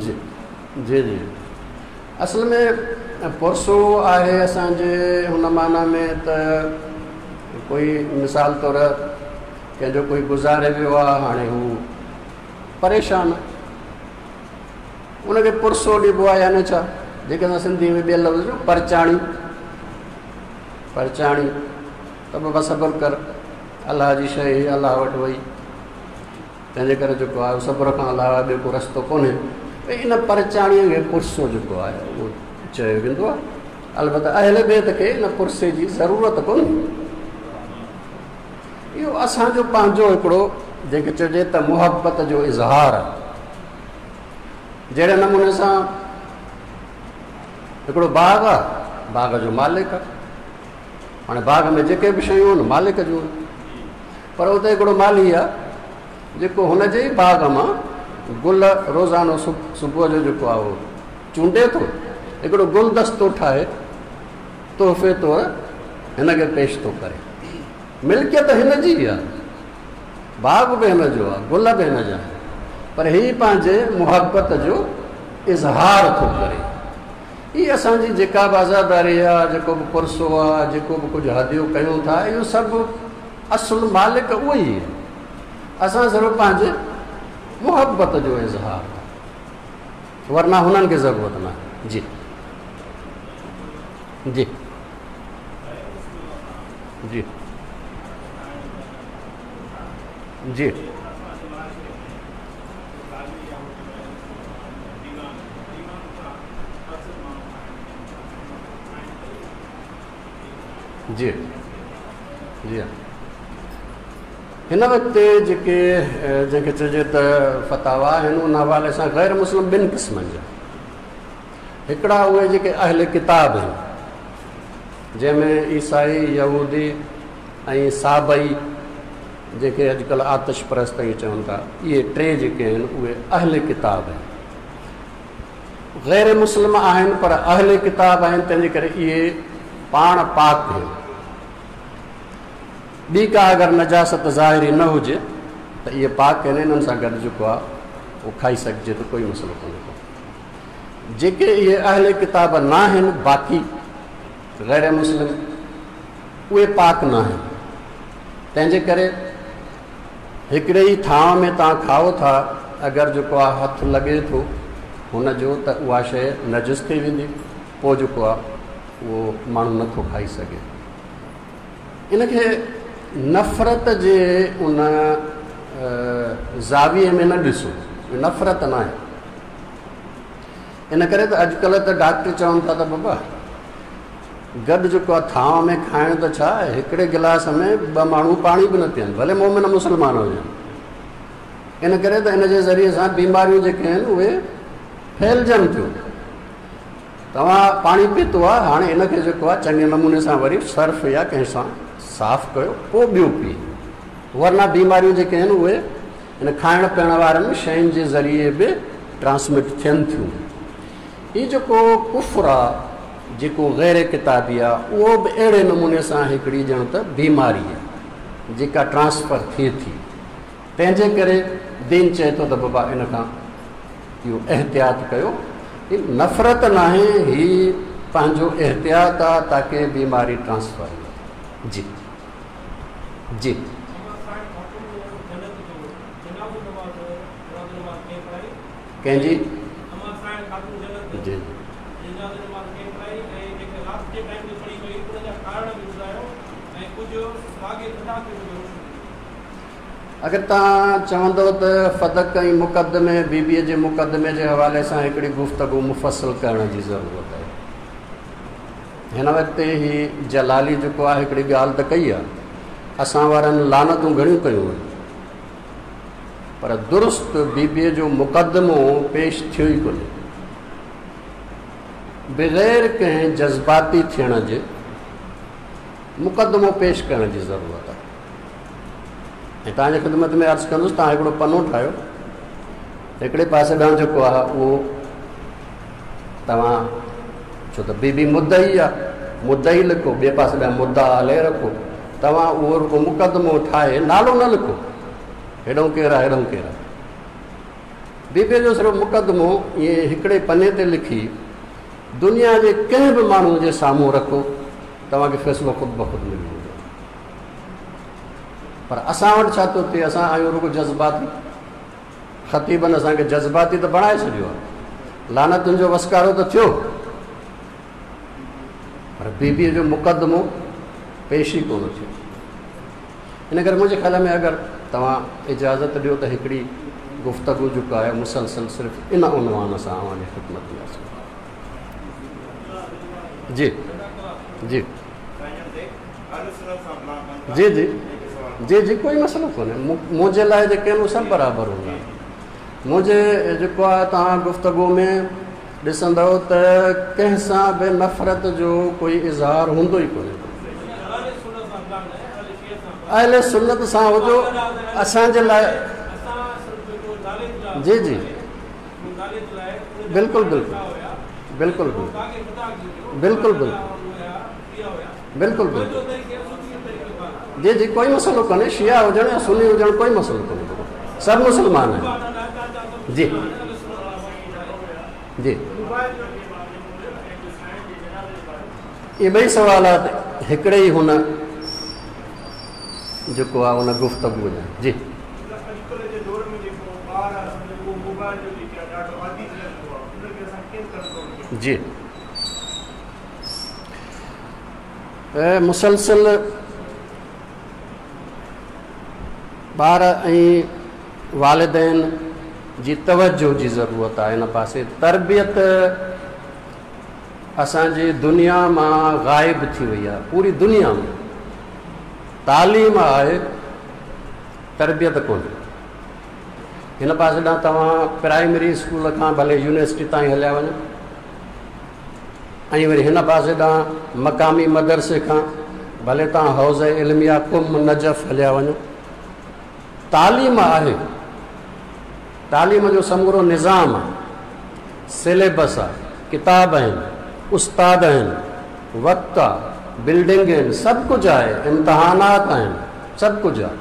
A: جي جي جي اصل ۾ پرسو آهي اسان جي هن معنيٰ ۾ ته ڪوئي مثال طور ڪنهن جو ڪوئي گذاري ويو آهي، هاڻي هو پريشان آهي، ان کي پرسو ڏبو آهي. يعني ڇا، جيڪي اسان سنڌيءَ ۾ ٻئي لفظ جو پرچاڻي، پرچاڻي ته بابا صبر ڪر، الله جي شيءِ الله وٽ وئي. تنهن جي ڪري جيڪو آهي صبر کان علاوه ٻيو ڪو رستو ڪونهي. ڀئي ان پرچاڻيءَ کي پرسو جيڪو آهي اهو چيو ويندو آهي. البته اهل بيت کي ان پرسي جي ضرورت ڪونهي. اهو اسان جو پنهنجو هڪڙو جنهن کي چئجي ته محبت جو اظهار آهي. جهڙي نموني سان هڪڙو باغ آهي، باغ جو مالڪ آهي، هاڻي باغ ۾ جيڪي به شيون آهن مالڪ جون آهن، پر اتي هڪڙو مالهي آهي جيڪو هن جي ئي باغ مان گل روزانو صبح جو جيڪو آهي اهو چونڊي ٿو، هڪڙو گلدستو ٺاهي تحفي طور هن کي پيش ٿو ڪري. ملڪيت هن جي آهي، باغ به هن جو آهي، گل به هن جا آهن، پر هيءُ پنهنجي محبت جو اظهار ٿو ڪري. هيءَ اسان جي جيڪا به عزاداري آهي، جيڪو به پرسو آهي، جيڪو به ڪجهه هديو ڪيون ٿا، اهو سڀ اصل مالڪ اهو ئي آهي. اسان صرف پنهنجي محبت جو اظهار، ورنه هنن کي ضرورت نه آهي. جي جي جي جي جي جي هن وقت جيڪي جنهن کي چئجي ته فتاوا آهن ان حوالي سان غير مسلم ٻن قسمن جا. هڪڙا اهي جيڪي اهل ڪتاب آهن، جنهن ۾ عيسائي، يهودي ۽ سابئي جيڪي اڄڪلهه آتش پرست ائين چون ٿا، اهي ٽي جيڪي آهن اهي اهل ڪتاب آهن. غير مسلم آهن پر اهل ڪتاب آهن، تنهن جي ڪري اهي پاڻ پاڪ آهن. ٻي ڪا اگر نجاست ظاهري نه هجي ته اهي پاڪ آهن، انهن سان گڏ جيڪو آهي اهو کائي سگهجي ٿو، ڪوئي مسئلو ڪونهي ڪو. جيڪي اهي اهل ڪتاب نه آهن، باقي غير مسلم، اهي پاڪ نه آهن. تنهن جي ڪري هڪڙي ئي ٿانو ۾ توهان کائو ٿا، اگر جيڪو آهي هٿ لڳي ٿو هن جو ته اها شيءِ نجس ٿي ويندي، پوءِ جيڪو آهي اهو ماڻهو نٿو کائي سگهي. ان کي نفرت جي ان زاويي ۾ نه ڏسو، نفرت نه آهي. ان ڪري ته اڄڪلهه ته ڊاڪٽر چون ٿا ته بابا گڏ جيڪو آهي ٿانو ۾ کائڻ ته ڇا، هڪڙي گلاس ۾ ٻه ماڻهو پاڻي به نه پيئن، ڀلي مومن مسلمان هجن. ان ڪري ته ان جي ذريعي سان بيماريون جيڪي آهن اهي ڦهلجن ٿيون. توهان پاڻي پيتو آهي، هاڻي ان کي جيڪو آهي چڱي نموني سان وري سرف يا ڪنهن سان صاف ڪيو پوءِ ٻيو پيءُ، ورنه بيماريون جيڪي آهن اهي ان کائڻ پيئڻ وارن شين جي ذريعي به ٽرانسمٽ ٿين ٿيون. هيءُ جيڪو ڪفر آهي، جيڪو غير ڪتابي آهي، اهو به اهڙي نموني سان هڪڙي ڄڻ ته بيماري آهي جيڪا ٽرانسفر ٿئي ٿي. تنهن جي ڪري دين چئي ٿو ته بابا ان کان اهو احتياط ڪيو. هيءَ نفرت نه آهي، هيءُ پنهنجو احتياط آهي تاڪه بيماري ٽرانسفر نه. جي جي ڪنهن جي؟ جي اگر توهان چوندؤ ته فدق ۽ مقدمي بيبيءَ جي مقدمي جي حوالي سان هڪڙي گفتگو مفصل ڪرڻ جي ضرورت آهي. هن وقت هيءُ جلالي جيڪو آهي هڪڙي ڳالهه ته ڪئي آهي، اسان وارن لعنتون گهڻيون ڪيون آهن، پر درست بيبيءَ جو مقدمو پيش ٿيو ئي ڪونهي. بغير ڪنهن جذباتي ٿيڻ جي مقدمو پيش ڪرڻ جي ضرورت آهي. ۽ توهان جي خدمت ۾ عرض ڪندس، توهان هڪڙو پنو ٺاهيو، هڪڙي پاسي ڏانهن جيڪو آهي اهو توهان، ڇو ته بيبي مدعي آهي، مدعي لکو، ٻئي پاسي ڏانهن مدعا عليه رکو. توهان اهو رڳو مقدمو ٺاهي نالو نه لکو، هيڏو ڪير آهي هيڏو ڪير آهي. بيبيءَ جو صرف مقدمو ائين هڪڙي پني تي لکي دنيا جي ڪنهن به ماڻهوءَ جي سامهون رکو، توهان کي فيصلو خود بخود ملي ويندو. پر اسان وٽ ڇا ٿو ٿئي، اسان آهيون رڳو جذباتي. خطيبن اسان کي جذباتي ته بڻائي ڇڏيو آهي، لعنتن جو وسڪارو ته ٿيو، پر بيبيءَ جو مقدمو پيش ئي ڪونه ٿيو. ان ڪري منهنجي خيال ۾ اگر توهان اجازت ڏيو ته هڪڙي گفتگو جيڪو آهي مسلسل صرف ان عنوان سان اوهان جي خدمت ۾ اچي. جي جي جي جي جي جي ڪوئي مسئلو ڪونهي. منهنجي لاءِ جيڪي آهن اهي سڀ برابر هوندا آهن. منهنجي جيڪو آهي توهان گفتگو ۾ ڏسندؤ ته ڪنهن سان به نفرت جو ڪوئي اظهار هوندو ئي ڪونهي. اهل سنت سان هجو اسان جي لاءِ. جي جي بلڪل بلڪل بلڪل بلڪل بلڪل بلڪل بلڪل جي جي ڪوئي مسئلو ڪونهي. شيعا هجڻ يا سني هجڻ ڪوئي مسئلو ڪونهي، سڀ مسلمان آهن. جي جي اهي ٻئي سوالات هڪڙي ئي هن جيڪو آهي هن گفتگو جا. جي جي مسلسل ٻار ۽ والدين جي توجو جي ضرورت آهي هن پاسي. تربيت اسان جي دنيا مان غائب ٿي وئي آهي، پوري دنيا ۾ تعليم آهي، تربيت ڪونهي. هن پاسي ڏانهن توهان پرائمري اسڪول کان ڀلي يونيورسٽي تائين هليا وڃو، ۽ وري هن پاسي ڏانهن مقامي مدرسي کان ڀلي توهان حوض علميه قم نجف هليا وڃو، تعليم آهي. تعليم جو سمورو نظام آهي، سليبس آهي، ڪتاب آهن، استاد آهن، وقت آهي، بلڊنگ آهن، سڀ ڪجهه آهي، امتحانات آهن، سڀ ڪجهه آهي،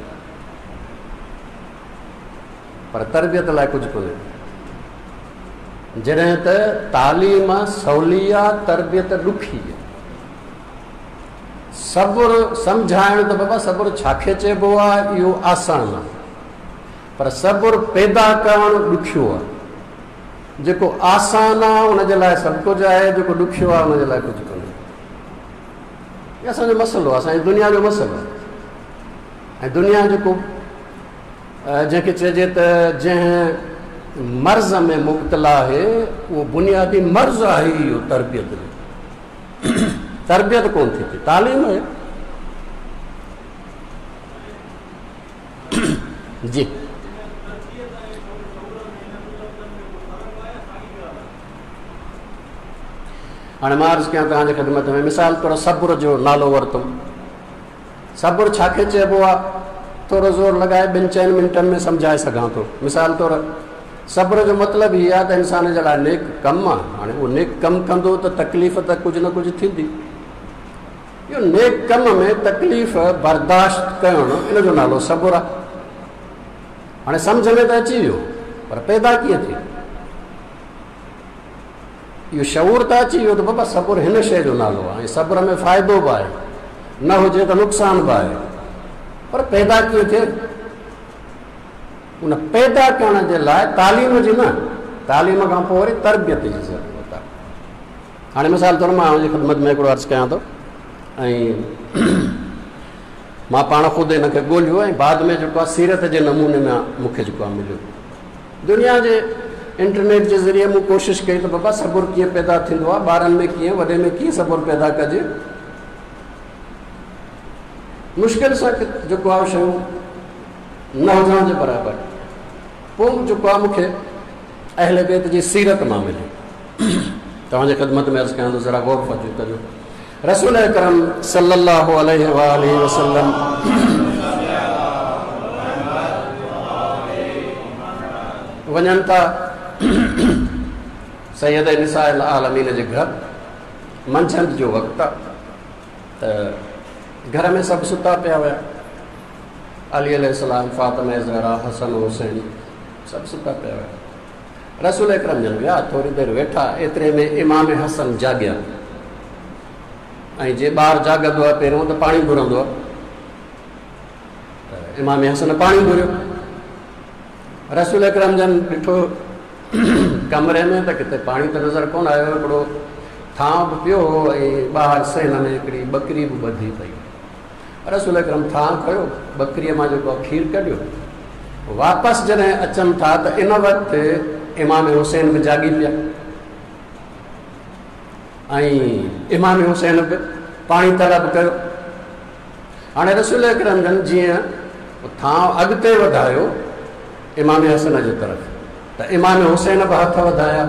A: پر تربيت لاءِ ڪجهه ڪونهي. جڏهن ته تعليم سولي آهي، تربيت ڏکي آهي. صبر سمجهائڻ ته بابا صبر ڇا کي چئبو آهي اهو آسان آهي، پر صبر پيدا ڪرڻ ڏکيو آهي. جيڪو آسان آهي ان جي لاءِ سڀ ڪجهه آهي، جيڪو ڏکيو آهي ان جي لاءِ ڪجهه ڪونهي. اهو اسان جو مسئلو آهي، اسان جي دنيا جو مسئلو آهي. ۽ دنيا جيڪو جنهن کي چئجي ته جنهن مرض ۾ مبتلا آهي، اهو بنيادي مرض آهي اهو تربيت جو. تربيت ڪونه ٿي ٿئي، تعليم آهي. جي هاڻي مان عرض ڪيان توهان جي خدمت ۾ مثال طور صبر جو نالو ورتم. صبر ڇا کي چئبو آهي؟ ٿورو زور لڳائي ٻن چئن منٽن ۾ سمجهائي سگهان ٿو. مثال طور صبر جو مطلب هي آهي ته انسان جي لاءِ نيڪ ڪم آهي. هاڻي اهو نيڪ ڪم ڪندو ته تڪليف ته ڪجهه نه ڪجهه ٿيندي. اهو نيڪ ڪم ۾ تڪليف برداشت ڪرڻ، ان جو نالو صبر آهي. هاڻي سمجهه ۾ ته اچي ويو، پر پيدا ڪيئن ٿئي؟ اهو شعور ته اچي ويو ته بابا صبر هن شيءِ جو نالو آهي ۽ صبر ۾ فائدو به آهي، نه هجي ته نقصان به آهي، پر پيدا ڪيئن ٿئي؟ ان پيدا ڪرڻ جي لاءِ تعليم جي نه، تعليم کان پوءِ وري تربيت جي ضرورت آهي. هاڻي مثال طور مان هن جي خدمت ۾ هڪڙو عرض ڪيان ٿو، ۽ مان پاڻ خود هن کي ڳولهيو ۽ بعد ۾ جيڪو آهي سيرت جي نموني ۾ مون کي جيڪو آهي مليو. دنيا جي انٽرنيٽ جي ذريعي مون ڪوشش ڪئي ته بابا صبر ڪيئن پيدا ٿيندو آهي، ٻارن ۾ ڪيئن، وڏي ۾ ڪيئن صبر پيدا ڪجي. مشڪل سان جيڪو آهي شيون نه هجڻ جي برابر. پوءِ جيڪو آهي مون کي اهل بيت جي سيرت مان ملي. توهان جي خدمت ۾ عرض ڪيان ٿو، ذرا غور ڪجو. رسول اڪرم صلي الله عليه وآله وسلم وڃن ٿا سيد نساء العالمين جي گهر. منجهند جو وقت آهي ته گهر ۾ سڀ ستا پيا هئا. علي عليه السلام، فاطمه زهرا، حسن حسين سڀ ستا پيا هئا. رسول اڪرم جن ويا، ٿوري دير ويٺا، ايتري ۾ امام حسن جاڳيا. ۽ جي ٻار جاڳندو آهي پهريون ته پاڻي گهرندو آهي، ته امام حسن پاڻي گهريو. رسول اڪرم جن ڏٺو ڪمري ۾ ته ڪٿي پاڻي ته نظر ڪونه آيو. هڪڙو ٿانو به پيو هو ۽ ٻاهر سين ۾ هڪڙي ٻڪري به ٻڌي پئي. رسول اڪرم ٿانو کيو، ٻڪريءَ مان جيڪو آهي کير ڪڍيو. واپس جڏهن اچن ٿا ته ان وقت امام حسين به جاڳي پيا ۽ امام حسين به پاڻي طلب ڪيو. هاڻي رسول اڪرم جن جيئن ٿانو اڳتي وڌايو امام حسن جي طرف، ته امام حسين به هٿ وڌايا.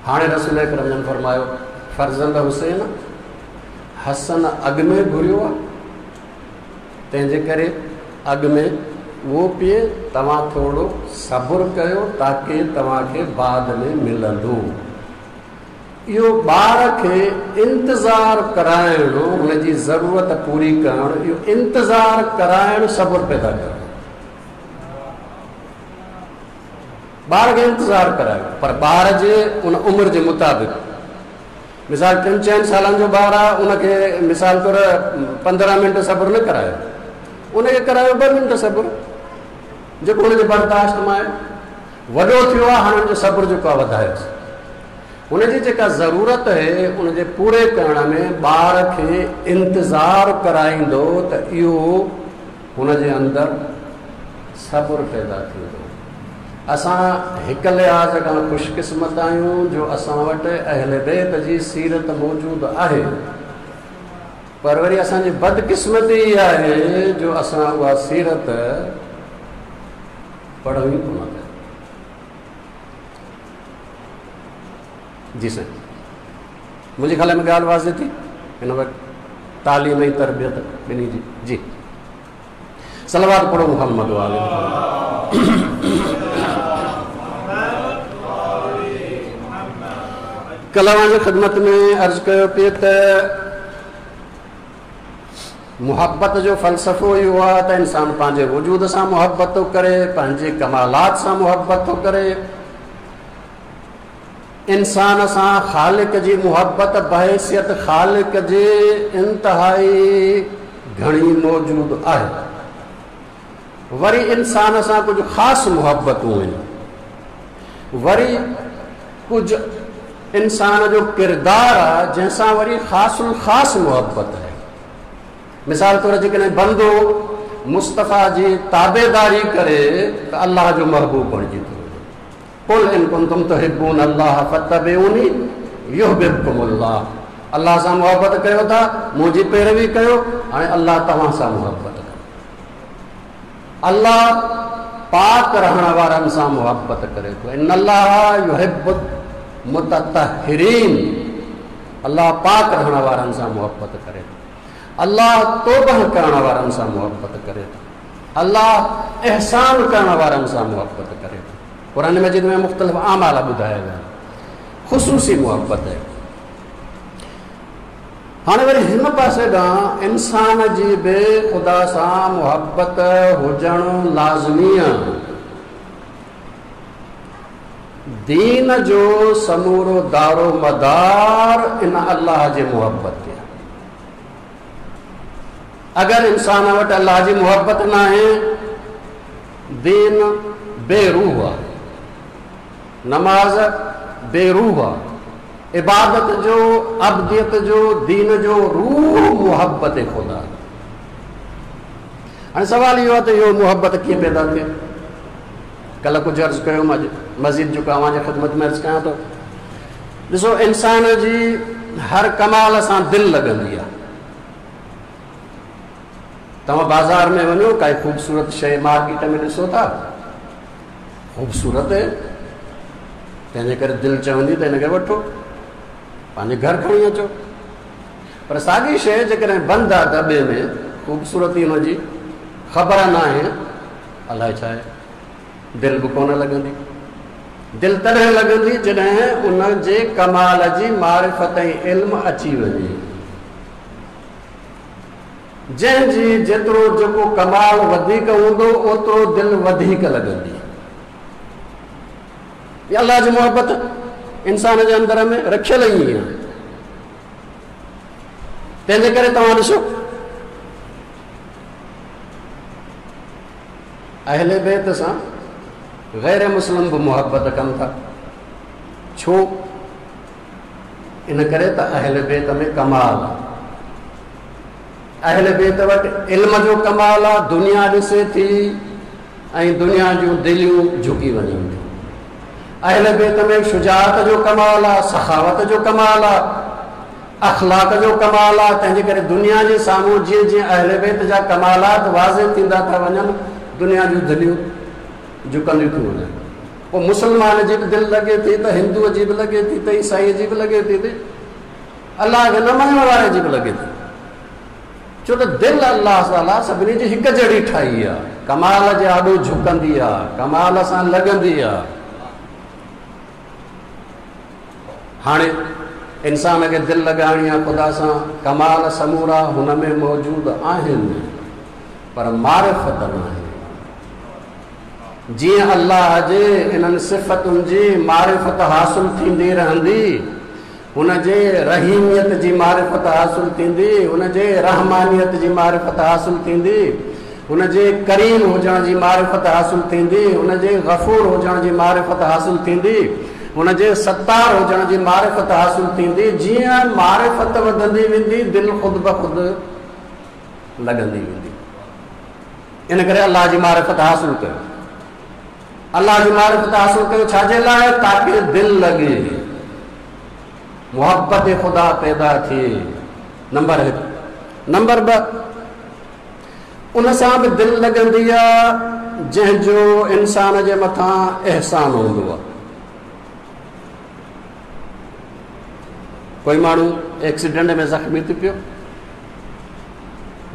A: هاڻي رسول اڪرم جن فرمايو، فرزند حسين، حسن اڳ ۾ گهريو آهي، تنهن جي ڪري اڳ ۾ اهو پيئي، توهان ٿورو صبر ڪيو تاڪه توهان کي بعد ۾ ملندو. اهو ٻار کي انتظار ڪرائڻو، هن جي ضرورت پوري ڪرڻ، اهو انتظار ڪرائڻ صبر پيدا ڪرڻ. ٻار کي انتظار ڪرايو، پر ٻار جي ان عمر جي مطابق. مثال ٽن چئن سالن جو ٻار آهي، ان کي مثال طور پندرهن منٽ صبر نه ڪرايو، ان کي ڪرايو ٻه منٽ صبر، جيڪو هن جي برداشت مان آهي. وڏو ٿيو آهي، هاڻي هن جو صبر جيڪو آهي وڌايوس. هن جي جيڪا ضرورت آهي ان جي پوري ڪرڻ ۾ ٻار کي انتظار ڪرائيندو ته اهو هن جي اندر صبر پيدا ٿيندو. اسان هڪ لحاظ کان خوشقسمت آهيون جو اسان وٽ اهل بيت جي سيرت موجود آهي، پر وري اسان جي بدقسمتي اها آهي جو اسان اها سيرت پڙهون ئي ڪونه ٿا. جي سائين، منهنجي خيال ۾ ڳالهه واضح ٿي. هن وقت تعليم ۽ تربيت ٻنهي جي. جي صلوات پڙهو محمد وآل محمد. ڪلهه اوهان جي خدمت ۾ عرض ڪيو پئي ته محبت جو فلسفو اهو آهي ته انسان پنهنجي وجود سان محبت ٿو ڪري، پنهنجي ڪمالات سان محبت ٿو ڪري. انسان سان خالق جي محبت بحيثيت خالق جي انتهائي گهڻي موجود آهي. وري انسان سان ڪجهه خاص محبتون آهن، وري ڪجهه इंसान जो किरदारु आहे जंहिंसां वरी ख़ासि ख़ासि मुहबत आहे। मिसाल तौरु जेकॾहिं बंदो मुस्तफ़ा जी ताबेदारी करे त अल्लाह जो महबूब बणिजी थो वञे। कुल इन कुंतुम तुहिब्बून अल्लाह फत्तबिऊनी युहिब्बुकुमुल्लाह। अल्लाह सां मुहबत कयो था, मुंहिंजी पैरवी कयो, हाणे अल्लाह तव्हां सां मुहबत कयो। अल्लाह पाक रहण वारनि सां मुहबत करे थो। इन्नल्लाह युहिब्बुल मुततहिरीन। अल्लाह पाक रहण वारनि सां मुहबत करे थो। अल्लाह तौबह करण वारनि सां मुहबत करे थो। अल्लाह एहसान करण वारनि सां मुहबत करे थो। क़ुरान मजीद में मुख़्तलिफ़ आमाल ॿुधाया विया, ख़ुसूसी मुहबत आहे। हाणे वरी हिन पासे ॾांहुं इंसान जी बि ख़ुदा सां मुहबत हुजणु लाज़मी आहे। दीन जो समूरो दारो मदार इन अल्लाह जी मुहबत ते आहे। अगरि इंसान वटि अल्लाह जी मुहबत न आहे, दीन बेरूह आहे, नमाज़ बेरूह आहे, इबादत जो, अब्दियत जो, दीन जो रूह मुहबत ख़ुदा। हाणे सवाल इहो आहे त इहो मुहबत कीअं पैदा थिए? कल्ह कुझु अर्ज़ु कयो, अॼु मज़ीद जेको तव्हांजे ख़िदमत में अर्ज़ु कयां थो। ॾिसो, इंसान जी हर कमाल सां दिलि लॻंदी आहे। तव्हां बाज़ार में वञो, काई ख़ूबसूरत शइ मार्केट में ॾिसो था, ख़ूबसूरत आहे, तंहिंजे करे दिलि चवंदी त हिनखे वठो, पंहिंजे घर खणी अचो। पर साॻी शइ जेकॾहिं बंदि आहे दॿे में, ख़ूबसूरती हुनजी ख़बर न आहे, अलाए छा आहे, दिलि बि कोन लॻंदी। दिलि तॾहिं लॻंदी जॾहिं उनजे कमाल जी मारिफ़त ऐं इल्मु अची वञे। जंहिंजी जेतिरो जेको कमाल वधीक हूंदो, ओतिरो दिलि वधीक लॻंदी। अल्लाह जी मुहबत इंसान जे अंदर में रखियल ई आहे। तंहिंजे करे तव्हां ॾिसो, अहले बैत सां गैर मुस्लिम बि मुहबत कनि था। छो? इन करे त अहले बैत में कमाल आहे। अहले बैत वटि इल्म जो कमाल आहे। दुनिया ॾिसे थी ऐं दुनिया जूं दिलियूं झुकी वञनि थियूं। अहले बैत में शुजाअत जो कमाल आहे, सखावत जो कमाल आहे, अख़लाक जो कमाल आहे। तंहिंजे करे दुनिया जे साम्हूं जीअं जीअं अहले बैत जा कमालात वाज़े थींदा था वञनि, दुनिया जूं दिलियूं झुकंदियूं थियूं वञनि। पोइ मुसलमान जी बि दिलि लॻे थी त हिंदूअ जी बि लॻे थी त ईसाईअ जी बि लॻे थी त अल्लाह खे न मञण वारे जी बि लॻे थी। छो त दिलि अल्लाह ताला सभिनी जी हिकु जहिड़ी ठाही आहे, कमाल जे आॾो झुकंदी आहे, कमाल सां लॻंदी आहे। हाणे इंसान खे दिलि लॻाइणी आहे ख़ुदा सां, कमाल समूरा हुन में मौजूदु आहिनि, पर मारिफ़त न आहे। जीअं अल्लाह जे इन्हनि सिफ़तुनि जी मारिफ़त हासिल थींदी रहंदी, हुनजे रहीमियत जी मारिफ़त हासिल थींदी, हुनजे रहमानियत जी मारिफ़त हासिल थींदी, हुनजे करीम हुजण जी मारिफ़त हासिल थींदी, हुनजे गफ़ूर हुजण जी मारिफ़त हासिल थींदी, हुनजे सत्तार हुजण जी मारिफ़त हासिल थींदी। जीअं मारिफ़त वधंदी वेंदी, दिलि ख़ुद ब ख़ुद लॻंदी वेंदी। इन करे अल्लाह जी मारिफ़त हासिल कयो, अल्लाह जी मारिफ़त हासिल कयो छाजे लाइ? ताकी दिलि लॻे, मुहबत ख़ुदा पैदा थिए। नंबर हिकु। नंबर ॿ, उन सां बि दिलि लॻंदी आहे जंहिंजो इंसान जे मथां अहसान हूंदो आहे। कोई माण्हू एक्सीडेंट में ज़ख़्मी थी पियो,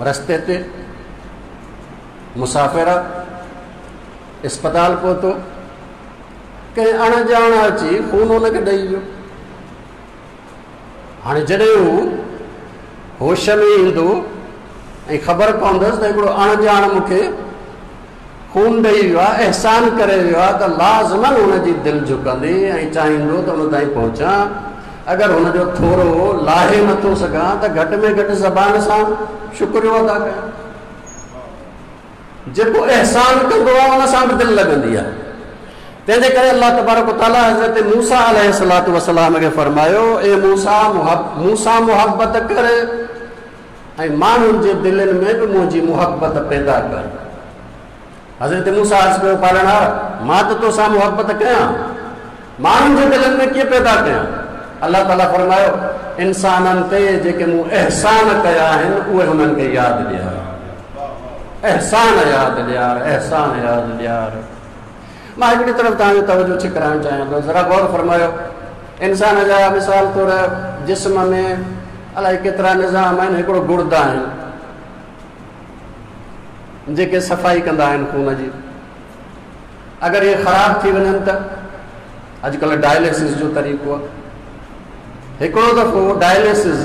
A: रस्ते ते मुसाफ़िर आहे, अस्पताल पहुतो, कंहिं अणॼाण अची खून हुनखे ॾेई वियो। हाणे जॾहिं हू होश में ईंदो ऐं ख़बर पवंदसि त हिकिड़ो अणॼाण मूंखे खून ॾेई वियो आहे, अहसान करे वियो आहे, त लाज़मन हुनजी दिलि झुकंदी ऐं चाहींदो त हुन ताईं पहुचां। अगरि हुनजो थोरो लाहे नथो सघां त घटि में घटि ज़बान सां शुक्रियो अदा कयां। जेको अहसान कंदो आहे उन सां बि दिलि लॻंदी आहे। तंहिंजे करे अलाह तबारक तआला हज़रत मूसा अलैहिस्सलातु वस्सलाम खे फरमायो, ए मूसा मूंसां मुहब्बत कर ऐं माण्हुनि जे दिलनि में बि मुंहिंजी मुहब्बत पैदा कर। हज़रत मूसा अर्ज़ कयो, पालणहार मां त तोसां मुहब्बत कयां, माण्हुनि जे दिलनि में कीअं पैदा कयां? अलाह ताला फरमायो, इंसाननि ते जेके मूं अहसान कया आहिनि उहे हुननि खे यादि ॾियार, अहसान यादि ॾियार, अहसान यादि ॾियार। मां हिकिड़ी तरफ़ तव्हांजो तवजो छिकराइण चाहियां थो, ज़रा गौर फरमायो। इंसान जा मिसाल तौरु जिस्म में अलाए केतिरा निज़ाम आहिनि, हिकिड़ो गुर्दा आहिनि जेके सफ़ाई कंदा आहिनि खून जी, अगरि इहे ख़राबु थी वञनि त अॼुकल्ह डायलिसिस जो तरीक़ो आहे। हिकिड़ो दफ़ो डायलिसिस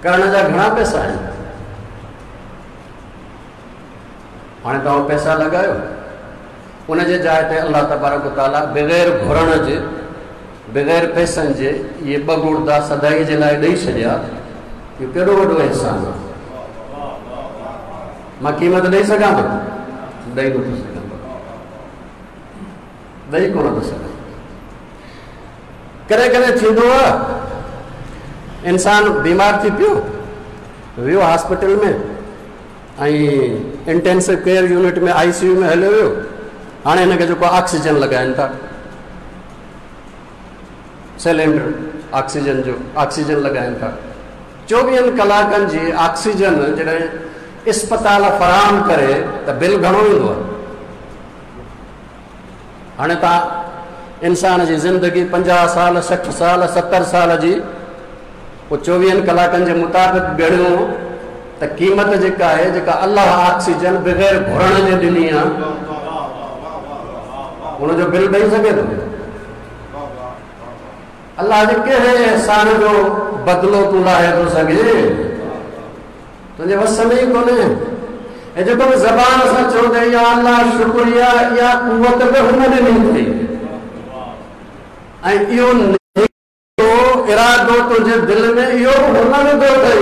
A: करण जा घणा पैसा आहिनि, हाणे तव्हां पैसा लॻायो, उनजे जाइ ते अलाह तबारक तआला बग़ैर घुरण जे बग़ैर पैसनि जे इहे ॿ गुर्दा सदाई जे लाइ ॾेई छॾिया। इहो केॾो वॾो अहसान आहे। मां क़ीमत ॾेई सघां थो? ॾेई नथो सघां, ॾेई कोन थो सघां। कॾहिं कॾहिं थींदो आहे इंसान बीमार थी पियो, वियो हॉस्पिटल में ऐं इंटेंसिव केयर यूनिट में आई सी you में हलियो वियो, हाणे हिनखे जेको ऑक्सीजन लॻाइनि था, सिलेंडर ऑक्सीजन जो ऑक्सीजन लॻाइनि था। चोवीहनि कलाकनि जी ऑक्सीजन जॾहिं अस्पताल फराहम करे त बिल घणो ईंदो आहे। हाणे तव्हां इंसान जी ज़िंदगी पंजाह साल, सठि साल, सतरि साल जी, पोइ चोवीहनि कलाकनि जे मुताबिक़ ॻणियो त क़ीमत जेका आहे, जेका अलाह ऑक्सीजन बग़ैर घुरण जे ॾिनी आहे, हुनजो बिल ॾेई सघे थो? अलाह जे कहिड़े अहसान जो बदिलो तूं लाहे थो सघे? तुंहिंजे वस में ई कोन्हे। ऐं जेको बि ज़बान सां चवंदे या अलाह शुक्रिया, इहा कुवत बि हुन ॾिनी अथई। ऐं इहो इरादो तुंहिंजे दिलि में इहो बि हुन विधो अथई।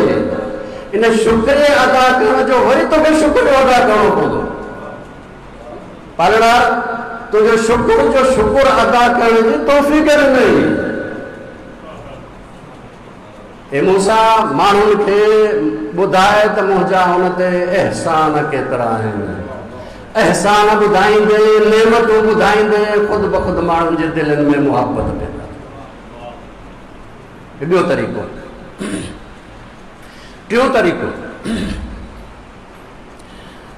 A: इन शुक्रिया अदा करण जो वरी तोखे शुक्रियो अदा करिणो पवंदो। पालणहार तुंहिंजो शुक्र जो शुक्र अदा करण जी तौफ़ीक़ ॾिनई। ए मूसा, माण्हुनि खे ॿुधाए त मुंहिंजा हुन ते अहसान केतिरा आहिनि। अहसान ॿुधाईंदे, नेमतूं ॿुधाईंदे, ख़ुदि ब ख़ुदि माण्हुनि जे दिलनि में मुहब्बत पैदा थी। ॿियो तरीक़ो, टियों तरीक़ो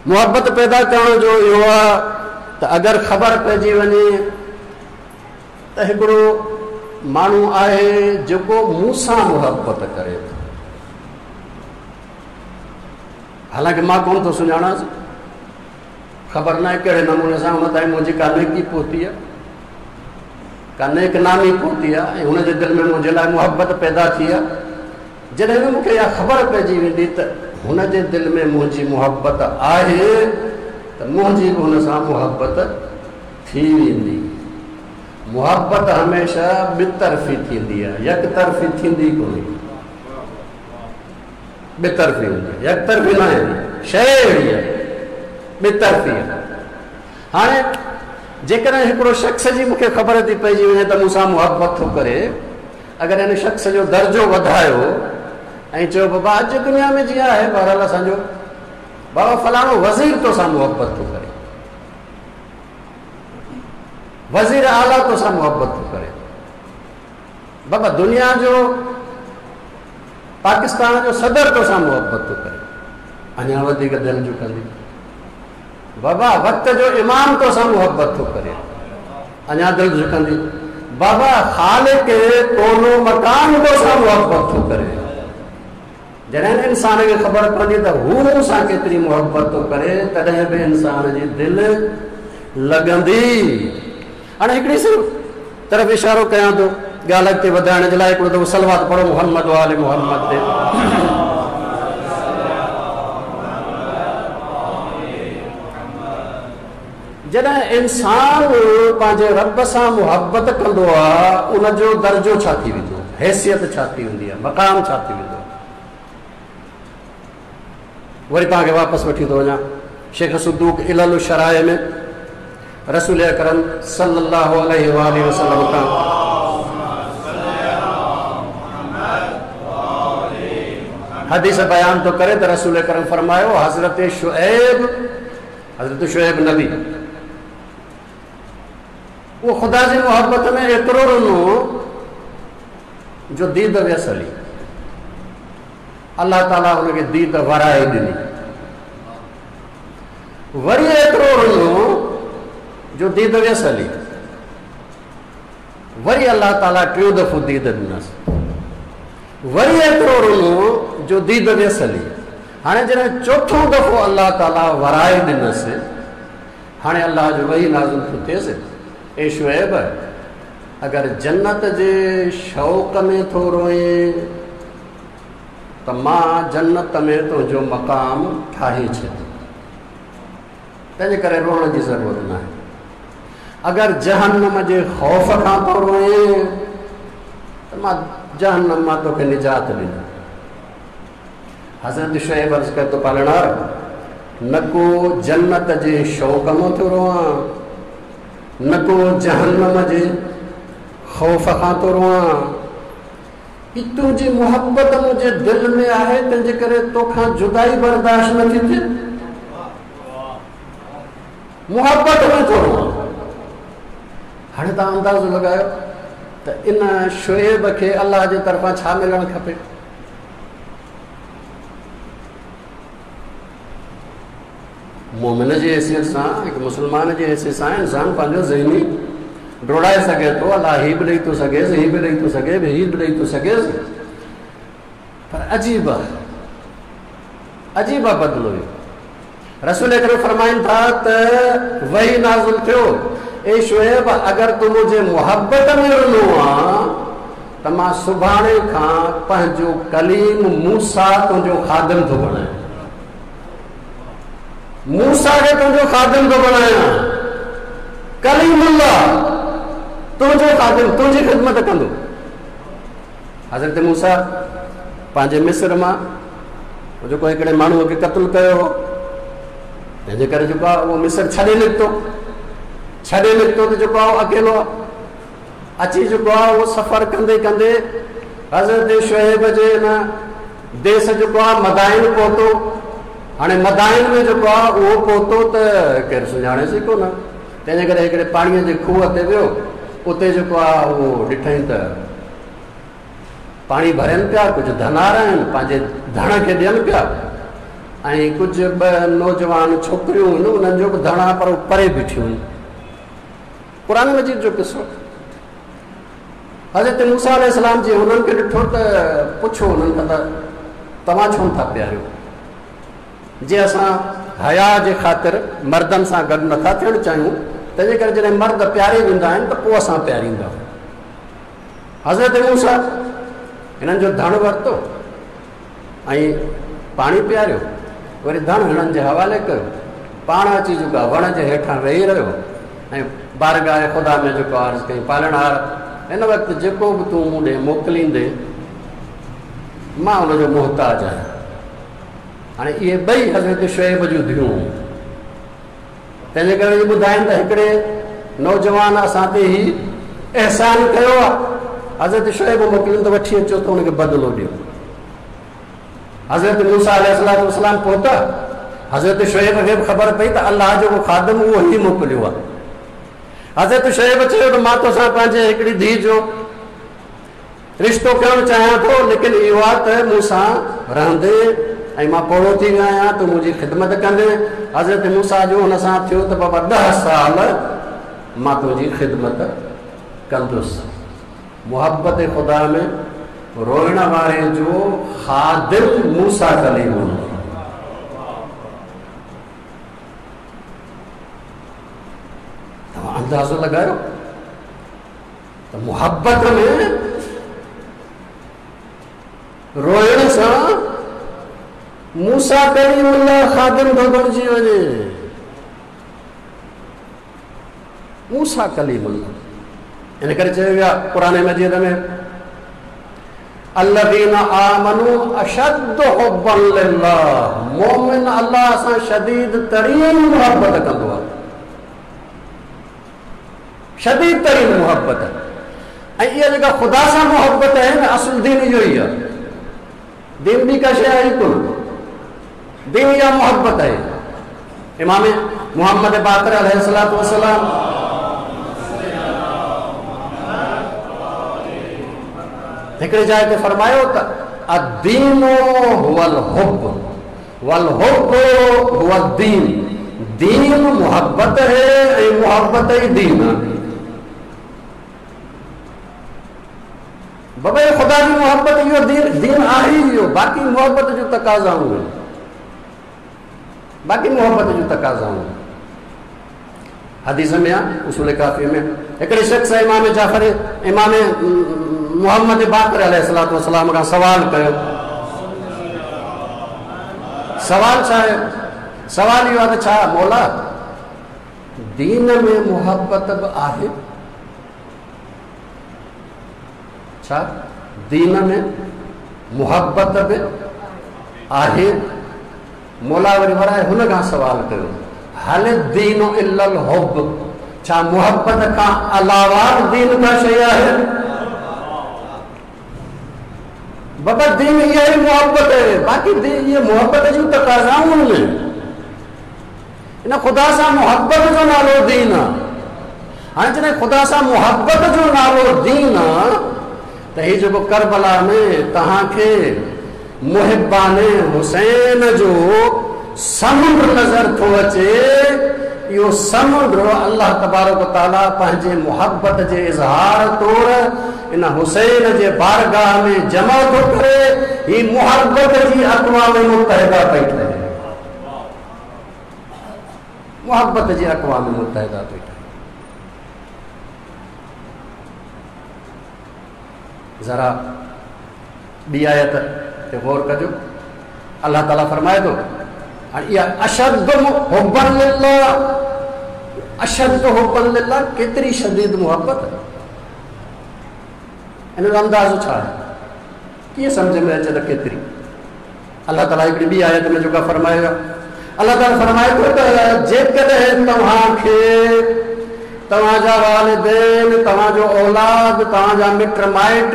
A: मुहब्बत पैदा करण जो इहो आहे त अगरि ख़बर पइजी वञे त हिकिड़ो माण्हू आहे जेको मूंसां मुहब्बत करे थो, हालांकि मां कोन थो सुञाणांसि, ख़बर न आहे कहिड़े नमूने सां हुन ताईं मुंहिंजी का नेकी पहुती आहे, का नेक नामी पहुती आहे ऐं हुनजे दिलि में मुंहिंजे लाइ मुहब्बत पैदा थी आहे। जॾहिं बि मूंखे इहा ख़बर पइजी वेंदी त हुनजे दिलि में मुंहिंजी मुहब्बत आहे त मुंहिंजी बि हुन सां मुहब्बत थी वेंदी। मुहब्बत हमेशह ॿितरफ़ी थींदी आहे, यकतरफ़ी थींदी कोन्हे, ॿितरफ़ी हूंदी आहे, यकतरफ़ी न आहे। शइ अहिड़ी आहे, ॿितरफ़ी आहे। हाणे जेकॾहिं हिकिड़ो शख़्स जी मूंखे ख़बर थी पइजी वञे त मूंसां मुहब्बत थो करे, अगरि हिन शख़्स जो दर्जो वधायो ऐं चयो बाबा अॼु दुनिया में जीअं आहे बहरहाल असांजो बाबा फलाणो वज़ीर तोसां मुहब्बत थो करे, वज़ीर आला तोसां मुहब्बत थो करे, बाबा दुनिया जो पाकिस्तान जो सदर तोसां मुहब्बत थो करे, अञा वधीक दिलि झुकंदी। बाबा वक़्त जो इमाम तोसां मुहब्बत थो करे, अञा दिलि झुकंदी। बाबा ख़ालिक़ कोनो मकान तोसां मुहब्बत थो करे। जॾहिं इंसान खे ख़बर पवंदी त हू मूंसां केतिरी मुहब्बत थो करे, तॾहिं बि इंसान जी दिलि लॻंदी। हाणे हिकिड़ी सिर्फ़ तरफ़ इशारो कयां थो ॻाल्हि अॻिते वधाइण जे लाइ, हिकिड़ो दफ़ो सलवात पढ़ो मोहम्मद वाले मोहम्मद ते। जॾहिं इंसान पंहिंजे रब सां मुहब्बत कंदो आहे, उनजो दर्जो छा थी वेंदो, हैसियत छा थी वेंदी आहे, मक़ाम छा थी वेंदो आहे। वरी तव्हांखे वापसि वठी थो वञा। शेख सदूक इलल शराए में रसूल अकरम सल्लल्लाहु अलैहि वसल्लम खां। हदीस बयान थो करे त रसूल अकरम फरमायो हज़रत शुएब, हज़रत शुएब नबी उहो ख़ुदा जी मोहबत में एतिरो रुनो जो दीद वियसि हली। अल्लाह ताला हुनखे दीद वराए ॾिनी। वरी एतिरो रुनो जो दीद वियसि हली, वरी अल्लाह ताला टियों दफ़ो दीद ॾिनसि, वरी एतिरो रुनो जो दीद वियसि हली। हाणे जॾहिं चोथों दफ़ो अल्लाह ताला वराए ॾिनसि, हाणे अल्लाह जो वही नाज़िल थो थियसि, ए शुएब अगरि जन्नत जे शौक़ में थो रोए त मां जन्नत में तुंहिंजो मक़ाम ठाहे छॾियो, तंहिंजे करे रोअण जी ज़रूरत न आहे। अगरि जहन्नम जे ख़ौफ़ खां थो रोए त मां जहन्नम मां तोखे निजात ॾिनी। हज़रत शुएब अर्ज़ करे थो पालणहार, न को जन्नत जे शौक़ मां थो रोआं, न को जहन्नम जे ख़ौफ़ खां थो रोआं, ही तुंहिंजी मोहबत मुंहिंजे दिलि में आहे, तंहिंजे करे तोखां जुदाई बर्दाश्त नथी थिए, मोहबत में थो रोआं। हाणे तव्हां अंदाज़ो लॻायो त इन शुएब खे अल्लाह जे तरफ़ां छा मिलणु खपे? मोमिन जी हैसियत सां, हिकु मुस्लमान जी हैसियत सां इंसान पंहिंजो ज़हनी ड्रोड़ाए सघे थो, अल्लाह ही बि ॾेई थो सघेसि, ही बि ॾेई थो सघे, ही बि ॾेई थो सघेसि, पर अजीब आहे, अजीब आहे बदिलो इहो। रसूल अकरम फरमाइनि था त वही नाज़िल थियो, ए शुएब अगरि तूं मुंहिंजे मोहबत में रुनो आहे त मां सुभाणे खां पंहिंजो कलीम मूसा तुंहिंजो ख़ादिम थो बणायां, मूसा खे तुंहिंजो ख़ादिम थो बणायां, कलीमुल्लाह तुंहिंजो ख़ादिम, तुंहिंजी ख़िदमत कंदो। हज़रत मूसा पंहिंजे मिस्र मां जेको हिकिड़े माण्हूअ खे क़तलु कयो हो, तंहिंजे करे जेको आहे उहो मिस्र छॾे निकितो, छॾे निकितो त जेको आहे अकेलो अची जेको आहे उहो सफ़र कंदे कंदे हज़रत शुएब जे हिन देस जेको आहे मदाइन पहुतो। हाणे मदाइन में जेको आहे उहो पहुतो त केरु सुञाणेसि कोन, तंहिंजे करे हिकिड़े पाणीअ जे खूह ते वियो, उते जेको आहे उहो ॾिठई त पाणी भरनि पिया, कुझु धनार आहिनि पंहिंजे धण खे ॾियनि पिया, ऐं कुझु ॿ नौजवान छोकिरियूं आहिनि उन्हनि जो बि धण आहे पर उहे परे बीठियूं आहिनि। क़ुरान मजीद जो क़िसो। हज़रत मूसा अलैहिस्सलाम जी हुननि खे ॾिठो त पुछो हुननि खां त तव्हां छो नथा पीआरियो? जे असां हया जे ख़ातिर मर्दनि सां गॾु नथा थियणु चाहियूं, तंहिंजे करे जॾहिं मर्द पीआरे वेंदा आहिनि त पोइ असां पीआरींदा। हज़रत मूसा हिननि जो धण वरितो ऐं पाणी पीआरियो, वरी धण हिननि जे हवाले कयो, पाण अची जेको आहे वण जे हेठां वेही रहियो ऐं बारगाह ख़ुदा में जेको अर्ज़ कई, पालणहार हिन वक़्तु जेको बि तूं मूं ॾे मोकिलींदे मां हुनजो मोहताज आहियां। हाणे इहे ॿई हज़रत शुएब जूं धियूं, तंहिंजे करे ॿुधाइनि त हिकिड़े नौजवान असां ते ही अहसान कयो आहे, हज़रत शुएब मोकिलिनि त वठी अचो त हुनखे बदिलो ॾियो। हज़रत मूसा अलैहिस्सलाम पहुता, हज़रत शुएब खे बि ख़बर पई त अल्लाह जो ख़ादिम उहो ई मोकिलियो आहे। हज़रत शुएब चयो त मां तोसां पंहिंजे हिकिड़ी धीउ जो रिश्तो करणु चाहियां थो, लेकिन इहो आहे त मूंसां रहंदे ऐं मां पोड़ो थी वियो आहियां, तूं मुंहिंजी ख़िदमत कंदे। हज़रत मूसा जो हुन सां थियो त बाबा ॾह साल मां तुंहिंजी ख़िदमत कंदुसि। मोहबत ख़ुदा में रोइण वारे जो ख़ादिम मूसा कलीम हूंदो। तव्हां अंदाज़ो लॻायो त मोहबत में रोइण सां मूसा कलीमुल्लाह ख़ादिम थो बणिजी वञे। मूसा कलीमुल्लाह इन करे चयो वियो आहे क़ुरान मजीद में, अल्लज़ीना आमनू अशद्द हुब्बन लिल्लाह, मोमिन अल्लाह सां शदीद तरीन मोहबत कंदो आहे। शदीद तरीन मुहबत। ऐं इहा जेका ख़ुदा सां मुहबत आहे न, असुलु दीन इहो ई आहे। दीन ॿी का शइ आहे ई कोन, दीन इहा मुहबत आहे। इमाम मोहम्मद बाक़िर अलैहिस्सलातु वस्सलाम हिकिड़ी जाइ ते फ़रमायो त अद-दीनु हुवल हुब्ब वल हुब्ब हुवल दीन। दीन मुहब्बत है ऐं मुहब्बत ई दीन आहे। बाबा ख़ुदा जी मुहब्बत इहो दीन दीन आहे इहो, बाक़ी मुहब्बत जूं तक़ाज़ाऊं आहिनि, बाक़ी मुहब्बत जूं तक़ाज़ाऊं आहिनि। हदीस में आहे, उसूल काफ़ी में हिकिड़े शख़्स इमाम जाफ़र इमाम मोहम्मद बाक़िर अलैहिस्सलातु वस्सलाम खां सवाल कयो। सवाल छा आहे? सवाल इहो आहे त छा मौला दीन में मुहब्बत बि आहे? छा दीन में मुहब्बत बि आहे? मौला वरी वराए हुन खां सवाल कयो, हल दीन इल्लल हुब्ब, छा मुहब्बत खां अलावा दीन का शइ आहे? बाबा दीन इहा ई मुहब्बत आहे, बाक़ी इहे मुहब्बत जूं तक़ाज़ाऊं आहिनि। इन ख़ुदा सां मुहब्बत जो नालो दीन आहे। हाणे जॾहिं ख़ुदा सां मुहब्बत जो नालो दीन आहे त हीउ जेको करबला में तव्हांखे मुहिब्बान हुसैन जो समुंड नज़र थो अचे, इहो समुंड अल्लाह तबारक ताला पंहिंजे मुहब्बत जे इज़हार तौर इन हुसैन जे बारगाह में जमा थो करे। हीअ मुहब्बत जी अक़वाम मुत्तहिदा पई ठहे, मुहब्बत जी अक़वाम मुत्तहिदा पई ठहे। ज़रा ॿी आयत ते गौर कजो। अल्लाह ताला फरमाए थो, इहा अशद हुब्बन लिल्लाह, अशद हुब्बन लिल्लाह केतिरी शदीद मुहब्बत, इन जो अंदाज़ो छा आहे? कीअं सम्झ में अचे त केतिरी? अल्लाह ताला हिकिड़ी ॿी आयत में जेका फरमायो आहे, अल्लाह ताला फरमाए थो त जेकॾहिं तव्हांखे तव्हांजा वालिदैन, तव्हांजो औलाद, तव्हांजा मिट माइट,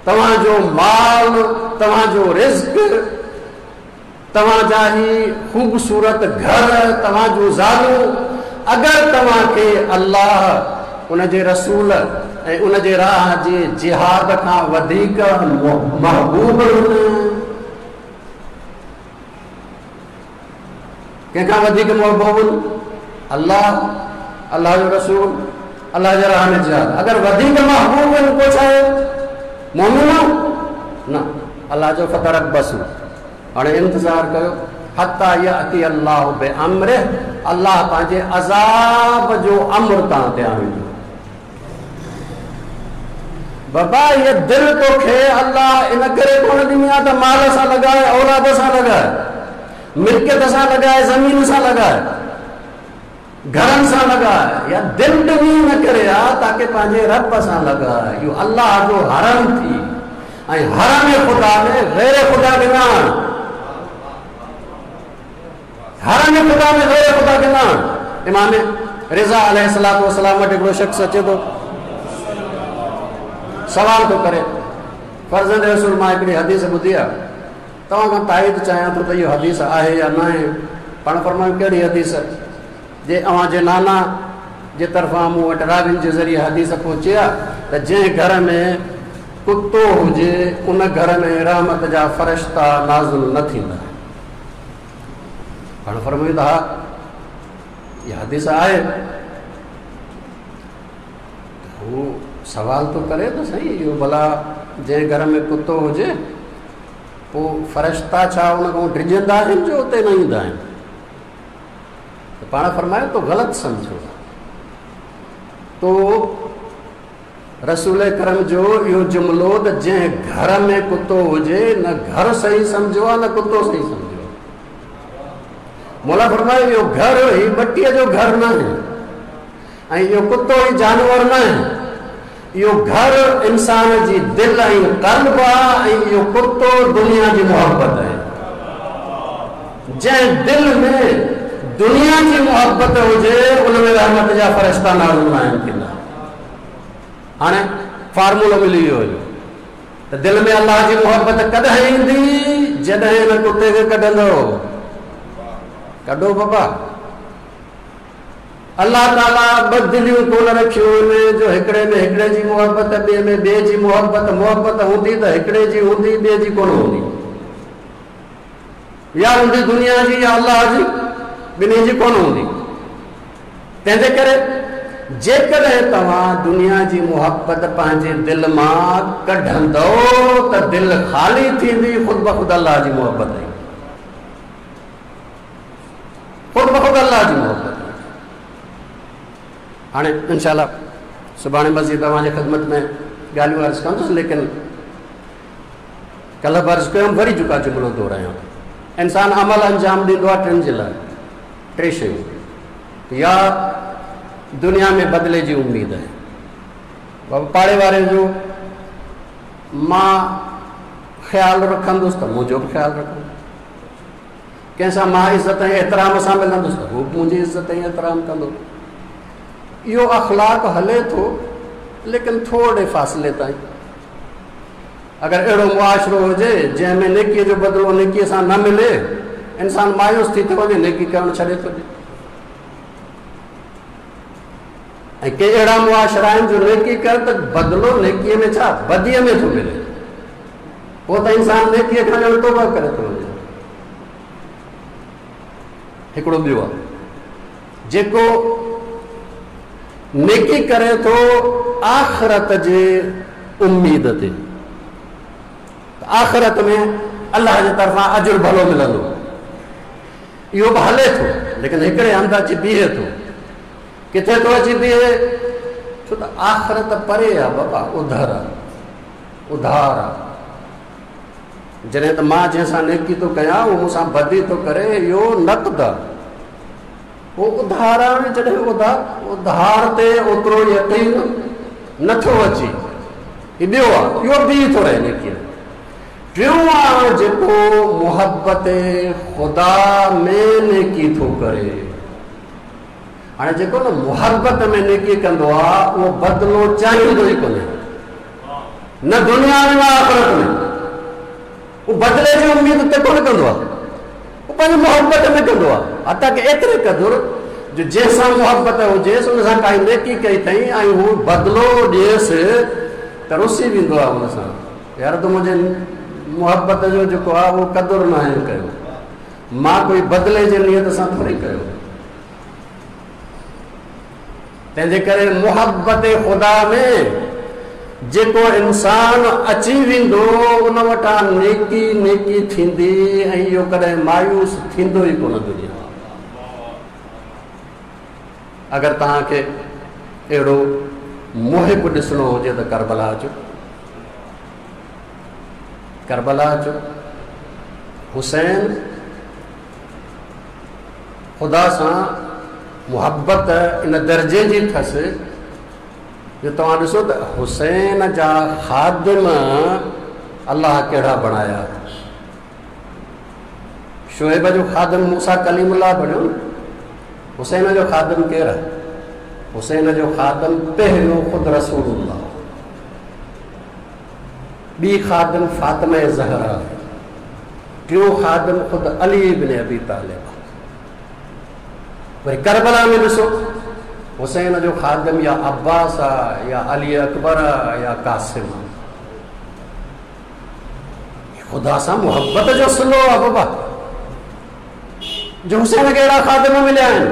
A: तव्हांजो माल, तव्हांजो रिज़्क, तव्हांजा ही ख़ूबसूरत घर, तव्हांजो ज़ालूं, अगरि तव्हांखे अल्लाह, उनजे रसूल ऐं उनजे राह जे जिहाद खां वधीक महबूब आहिनि, कंहिंखां वधीक महबूब? अल्लाह, अल्लाह जो रसूल, अल्लाह जे राह में जिहाद। अगरि वधीक महबूब आहिनि पोइ छा आहे? मोमिन न, अल्लाह जो फतरब्बसू, हाणे इंतज़ार कयो, हत्ता याती अल्लाह बे अम्र, अल्लाह पंहिंजे अज़ाब जो अम्र तव्हां ते आणींदो। बाबा इहा दिलि तोखे अल्लाह इन करे कोन ॾिनी आहे त माल सां लॻाए, औलाद सां लॻाए, मिल्कियत सां लॻाए, ज़मीन सां लॻाए, घरनि सां लॻाए, या दिलि ॾिनी न करे आहे ताकी पंहिंजे रब सां लॻाए। इहो अल्लाह जो हरम थी ऐं हरम ख़ुदा में ग़ैर ख़ुदा खे न आण, हरम ख़ुदा में ग़ैर ख़ुदा खे न आण। इमाम रिज़ा अलैहिस्सलातु वस्सलाम वटि हिकिड़ो शख़्स अचे थो, सवाल थो करे, फर्ज़ंद रसूल मां हिकिड़ी हदीस ॿुधी आहे, तव्हां खां ताईद चाहियां थो त इहो हदीस आहे या न आहे? पाण फरमायो कहिड़ी हदीस? जे अव्हांजे नाना जे तरफ़ां मूं वटि राविन जे ज़रिए हदीस पहुची आहे त जंहिं घर में कुतो हुजे उन घर में रहमत जा फ़रिश्ता नाज़िल न थींदा। पाण फरमायो त हा इहा हदीस आहे। हू सवाल थो करे त सही, इहो भला जंहिं घर में कुतो हुजे पोइ फ़रिश्ता छा उन खां डिॼंदा आहिनि जो उते न ईंदा आहिनि? त पाण फरमायो तो ग़लति सम्झो, तो रसूल करम जो इहो जुमिलो त जंहिं घर में कुतो हुजे न घर सही सम्झो आहे न कुतो सही सम्झो आहे। मौला फरमायो इहो घर ही मटीअ जो घर न आहे ऐं इहो कुतो ई जानवर न आहे, इहो घर इंसान जी दिलि ऐं क़ल्ब आहे ऐं इहो कुतो दुनिया जी मोहबत आहे। जंहिं दिलि में दुनिया जी मुहबत हुजे उन में रहमत जा फ़रिश्ता नाज़िल नाहिनि थींदा। हाणे फार्मूलो मिली वियो हुजो त दिलि में अलाह जी मुहबत कॾहिं ईंदी? जॾहिं हिन कुते खे कढंदो। कढो बाबा। अलाह ताला ॿ दिलियूं कोन रखियूं आहिनि जो हिकिड़े में हिकिड़े जी मुहबत, ॿिए में ॿिए जी मुहबत। मुहबत हूंदी त हिकिड़े जी हूंदी, ॿिए जी कोन हूंदी। या हूंदी दुनिया जी या अलाह जी, ॿिन्ही जी कोन हूंदी। तंहिंजे करे जेकॾहिं तव्हां दुनिया जी मुहबत पंहिंजे दिलि मां कढंदव त दिलि ख़ाली थींदी, ख़ुद ब ख़ुद अलाह जी मुहबत आई, ख़ुद ब ख़ुद अलाह जी मुहबत आई। हाणे इंशाअल्लाह सुभाणे मज़ीद तव्हांजे ख़िदमत में ॻाल्हियूं अर्ज़ु कंदुसि, लेकिन कल्ह बि अर्ज़ु कयमि, वरी जेका जुमिलो दोहरायां। इंसान अमल अंजाम ॾींदो आहे टिनि जे लाइ, टे शयूं। या दुनिया में बदिले जी उम्मीद आहे। बाबा पाड़े वारे जो मां ख़्यालु रखंदुसि त मुंहिंजो बि ख़्यालु रखंदो, कंहिंसां मां इज़त ऐं एतिराम सां मिलंदुसि त हू बि मुंहिंजी इज़त ऐं एतिराम कंदो। इहो अख़लाक़ हले थो, लेकिन थोरे फ़ासिले ताईं। अगरि अहिड़ो मुआशिरो हुजे जंहिंमें नेकीअ जो बदिलो नेकीअ सां न मिले, इंसान मायूस थी थो वञे, नेकी करणु छॾे थो ॾिए। ऐं के अहिड़ा मुआशिरा आहिनि जो नेकी कर त बदिलो नेकीअ में छा, बदीअ में थो मिले, पोइ त इंसान नेकीअ खां ॼण तौबा करे थो वञे। हिकिड़ो ॿियो आहे जेको नेकी करे थो आख़िरत जे उम्मीद ते, आख़िरत में अलाह जे तरफ़ां अजुर भलो मिलंदो, इहो बि हले थो, लेकिन हिकिड़े हंधि अची बीहे थो। किथे थो अची बीहे? छो त आख़िरत परे आहे बाबा, उधर आहे, उधार आहे। जॾहिं त मां जंहिंसां नेकी थो कयां उहो मूंसां बदी थो करे, इहो नक़द आहे, उहो उधार आहे। जॾहिं उधार उधार ते ओतिरो यकीन नथो अचे, हीउ ॿियो आहे, इहो बीह थो रहे नेकीअ। टियों आहे जेको मुहबत ख़ुदा में नेकी थो करे। हाणे जेको न मुहबत में नेकी कंदो आहे उहो बदिलो चाहींदो ई कोन्हे, न दुनिया में न आख़िरत में। उहो बदिले जी उम्मीद ते कोन कंदो आहे, उहो पंहिंजी मुहबत में कंदो आहे। हता की एतिरे क़दुरु जो जंहिंसां मुहबत हुजेसि उन सां काई नेकी कई अथई ऐं हू बदिलो ॾियेसि त रुसी वेंदो आहे हुन सां, यार तूं मुंहिंजे मुहबत जो जेको आहे उहो क़दुरु न आहे कयो, मां कोई बदिले जे नियत सां थोरी कयो। तंहिंजे करे मुहबत ख़ुदा में जेको इंसान अची वेंदो उन वटां नेकी नेकी थींदी ऐं इहो कॾहिं मायूस थींदो ई कोन दुनिया। अगरि तव्हांखे अहिड़ो मुहिब ॾिसणो हुजे त करबला अचो, करबला अचो। हुसैन ख़ुदा सां मुहबत इन दर्जे जी अथसि जो तव्हां ॾिसो त हुसैन जा ख़ादिम अलाह कहिड़ा बणाया। शुएब जो ख़ादिम मूसा कलीमुल्लाह बणियो, हुसैन जो ख़ादिम केरु आहे? हुसैन जो ख़ादिम पहिरियों ख़ुदि रसूलुल्लाह, ॿी ख़ादिम फ़ातिमा ज़हरा, टियों ख़ादिम ख़ुदि अली इब्न अबी तालिब। वरी करबला में ॾिसो हुसैन जो ख़ादिम या अब्बास आहे या अली अकबर आहे या कासिम आहे। ख़ुदा सां मुहबत जो सिलो आहे बाबा, जो हुसैन खे अहिड़ा ख़ादिम मिलिया आहिनि।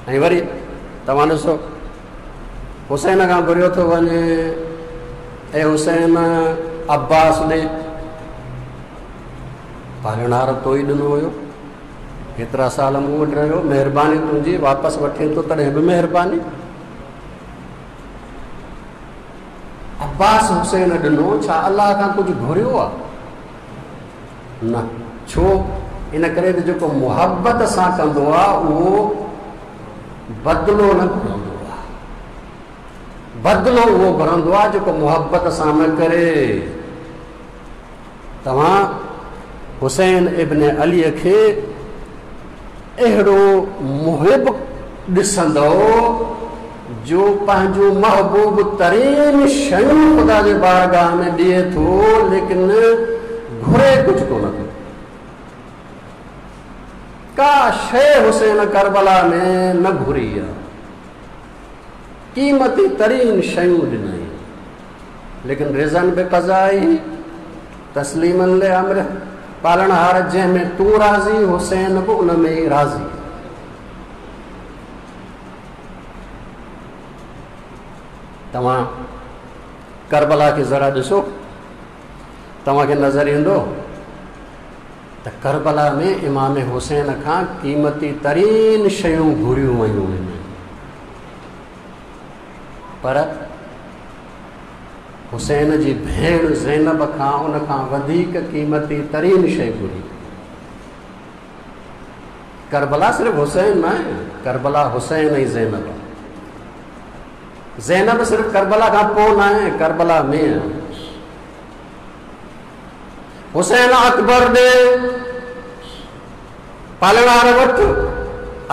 A: ऐं वरी तव्हां ॾिसो हुसैन खां घुरियो थो वञे, ऐं हुसैन अब्बास ॾे, पालणहार तो ई ॾिनो हुयो, हेतिरा साल मूं वटि रहियो, महिरबानी तुंहिंजी, वापसि वठे थो तॾहिं बि महिरबानी। अब्बास हुसैन ॾिनो, छा अलाह खां कुझु घुरियो आहे? न। छो? इन करे त जेको मुहबत सां कंदो आहे उहो बदिलो न घुरंदो आहे, बदिलो उहो घुरंदो आहे जेको मुहबत सां न करे। तव्हां हुसैन इब्न अलीअ खे अहिड़ो मुहिब ॾिसंदो जो पंहिंजो महबूब तरीन शयूं ख़ुदा जे बारगाह में ॾिए थो, लेकिन घुरे कुझु कोन थो। का शइ हुसैन करबला में न घुरी आहे, क़ीमती तरीन शयूं ॾिनई, लेकिन रिज़न बि क़ज़ाई तस्लीमन ले अम्र, पालणहार जंहिंमें तूं राज़ी हुसैन बि उन में ई राज़ी। तव्हां करबला खे ज़रा ॾिसो, तव्हांखे नज़र ईंदो त करबला में इमाम हुसैन खां क़ीमती तरीन शयूं घुरियूं वयूं आहिनि, पर हुसैन जी भेण ज़ैनब खां उन खां वधीक क़ीमती तरीन शइ घुरी। करबला सिर्फ़ हुसैन न आहे, करबला हुसैन ऐं ज़ैनब आहे। ज़ैनब सिर्फ़ करबला खां पोइ न आहे, करबला में आहे। हुसैन अकबर ॾे पालणहार वठि,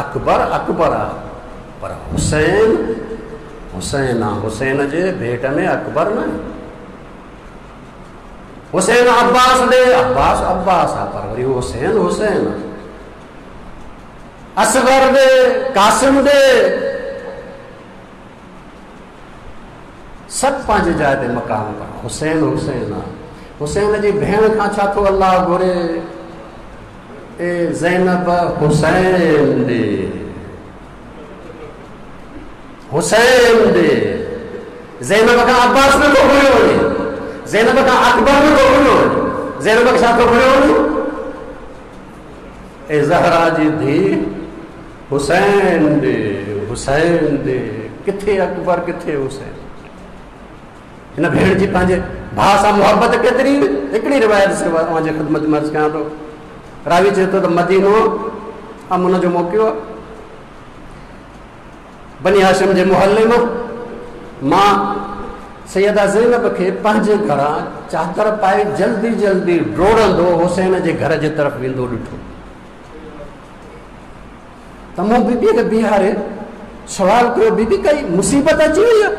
A: अकबर अकबर आहे, पर हुसैन हुसैन आहे। हुसैन जे भेट में अकबर न आहे। हुसैन अब्बास ॾे, अब्बास अब्बास आहे, पर वरी हुसैन हुसैन आहे। असगर ॾे, कासिम ॾे, सभु पंहिंजी जाइ ते मक़ाम पर हुसैन हुसैन आहे। हुसैन जी भेण खां छा थो अलाह घुरे? ए ज़ैनब हुसैन ॾे, हुसैन ॾे। ज़ैनब खां अब्बास नथो घुरियो वञे, ज़ैनब खां अकबर नथो घुरियो वञे, ज़ैनब खे छा थो घुरियो वञे? ए ज़हरा जी धीउ हुसैन ॾे, हुसैन ॾे। किथे अकबर किथे हुसैन? हिन भेण जी पंहिंजे भाउ सां मुहबत केतिरी। हिकिड़ी रिवायत सिर्फ़ु तव्हांजे ख़िदमत में अर्ज़ु कयां थो। रावी चए थो त मदीनो अमुन जो मौक़ो आहे, बनी हाशिम जे मोहल्ले मां मां सैयदा ज़ैनब खे पंहिंजे घरां चादर पाए जल्दी जल्दी ड्रोड़ंदो हुसैन जे घर जे तरफ़ वेंदो ॾिठो। त मूं बीबीअ खे बीहारे सवाल कयो, बीबी कई मुसीबत अची वई आहे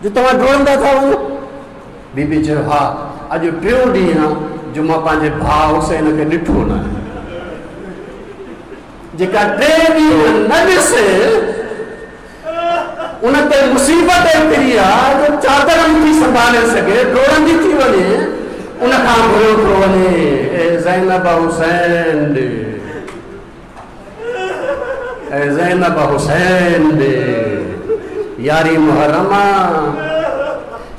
A: जो तव्हां ड्रोड़ंदा था वञो? बीबी चयो, हा, अॼु टियों ॾींहुं आहे जो मां पंहिंजे भाउ हुसैन खे ॾिठो न आहे। जेका टे ॾींहं न ॾिसे उन ते मुसीबत एतिरी आहे जो चादर नथी संभाले सघे, ड्रोड़ंदी थी वञे, उन खां घुरियो थो वञे, ए ज़ैनब हुसैन ॾे, ए ज़ैनब हुसैन ॾे। यारी मुहर्रम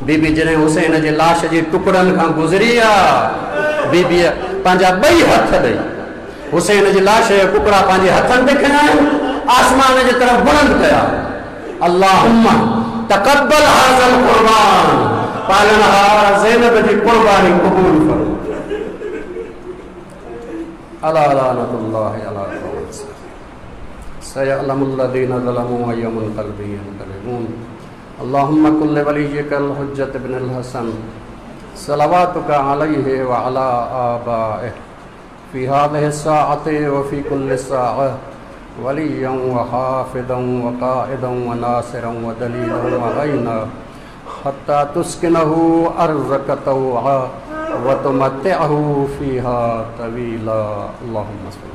A: बीबी जॾहिं हुसैन जे लाश जे टुकड़नि खां गुज़री आहे, बीबीअ पंहिंजा ॿई हथ ॾेई हुसैन जे लाश जा टुकड़ा पंहिंजे हथनि ते खयां आहिनि, आसमान जे तरफ़ बुलंद कया, अल्लाहुम्मा तक़ब्बल हाज़ल क़ुर्बान, पालनहार ज़ैनब जी क़ुर्बानी क़बूल फरमा। अला लानतुल्लाहि अला सयअलमुल्लज़ीना ज़लमू अय्य मुनक़लबिन यनक़लिबून। अल्लाहुम्मा कुल्ल वलिय्यिकल हुज्जत इब्नुल हसन सलावातुका अलैहि व अला आबाइहि फ़ी हाज़िहि स्साअति व फ़ी कुल्लि साअह वलिय्यन व हाफ़िज़न व क़ाइदन व नासिरन व दलीलन व गैना हत्ता तुस्किनहु अर्ज़क तौआ व तुमत्तिअहु फ़ीहा तवीला। अल्लाहुम्मा सल्लि।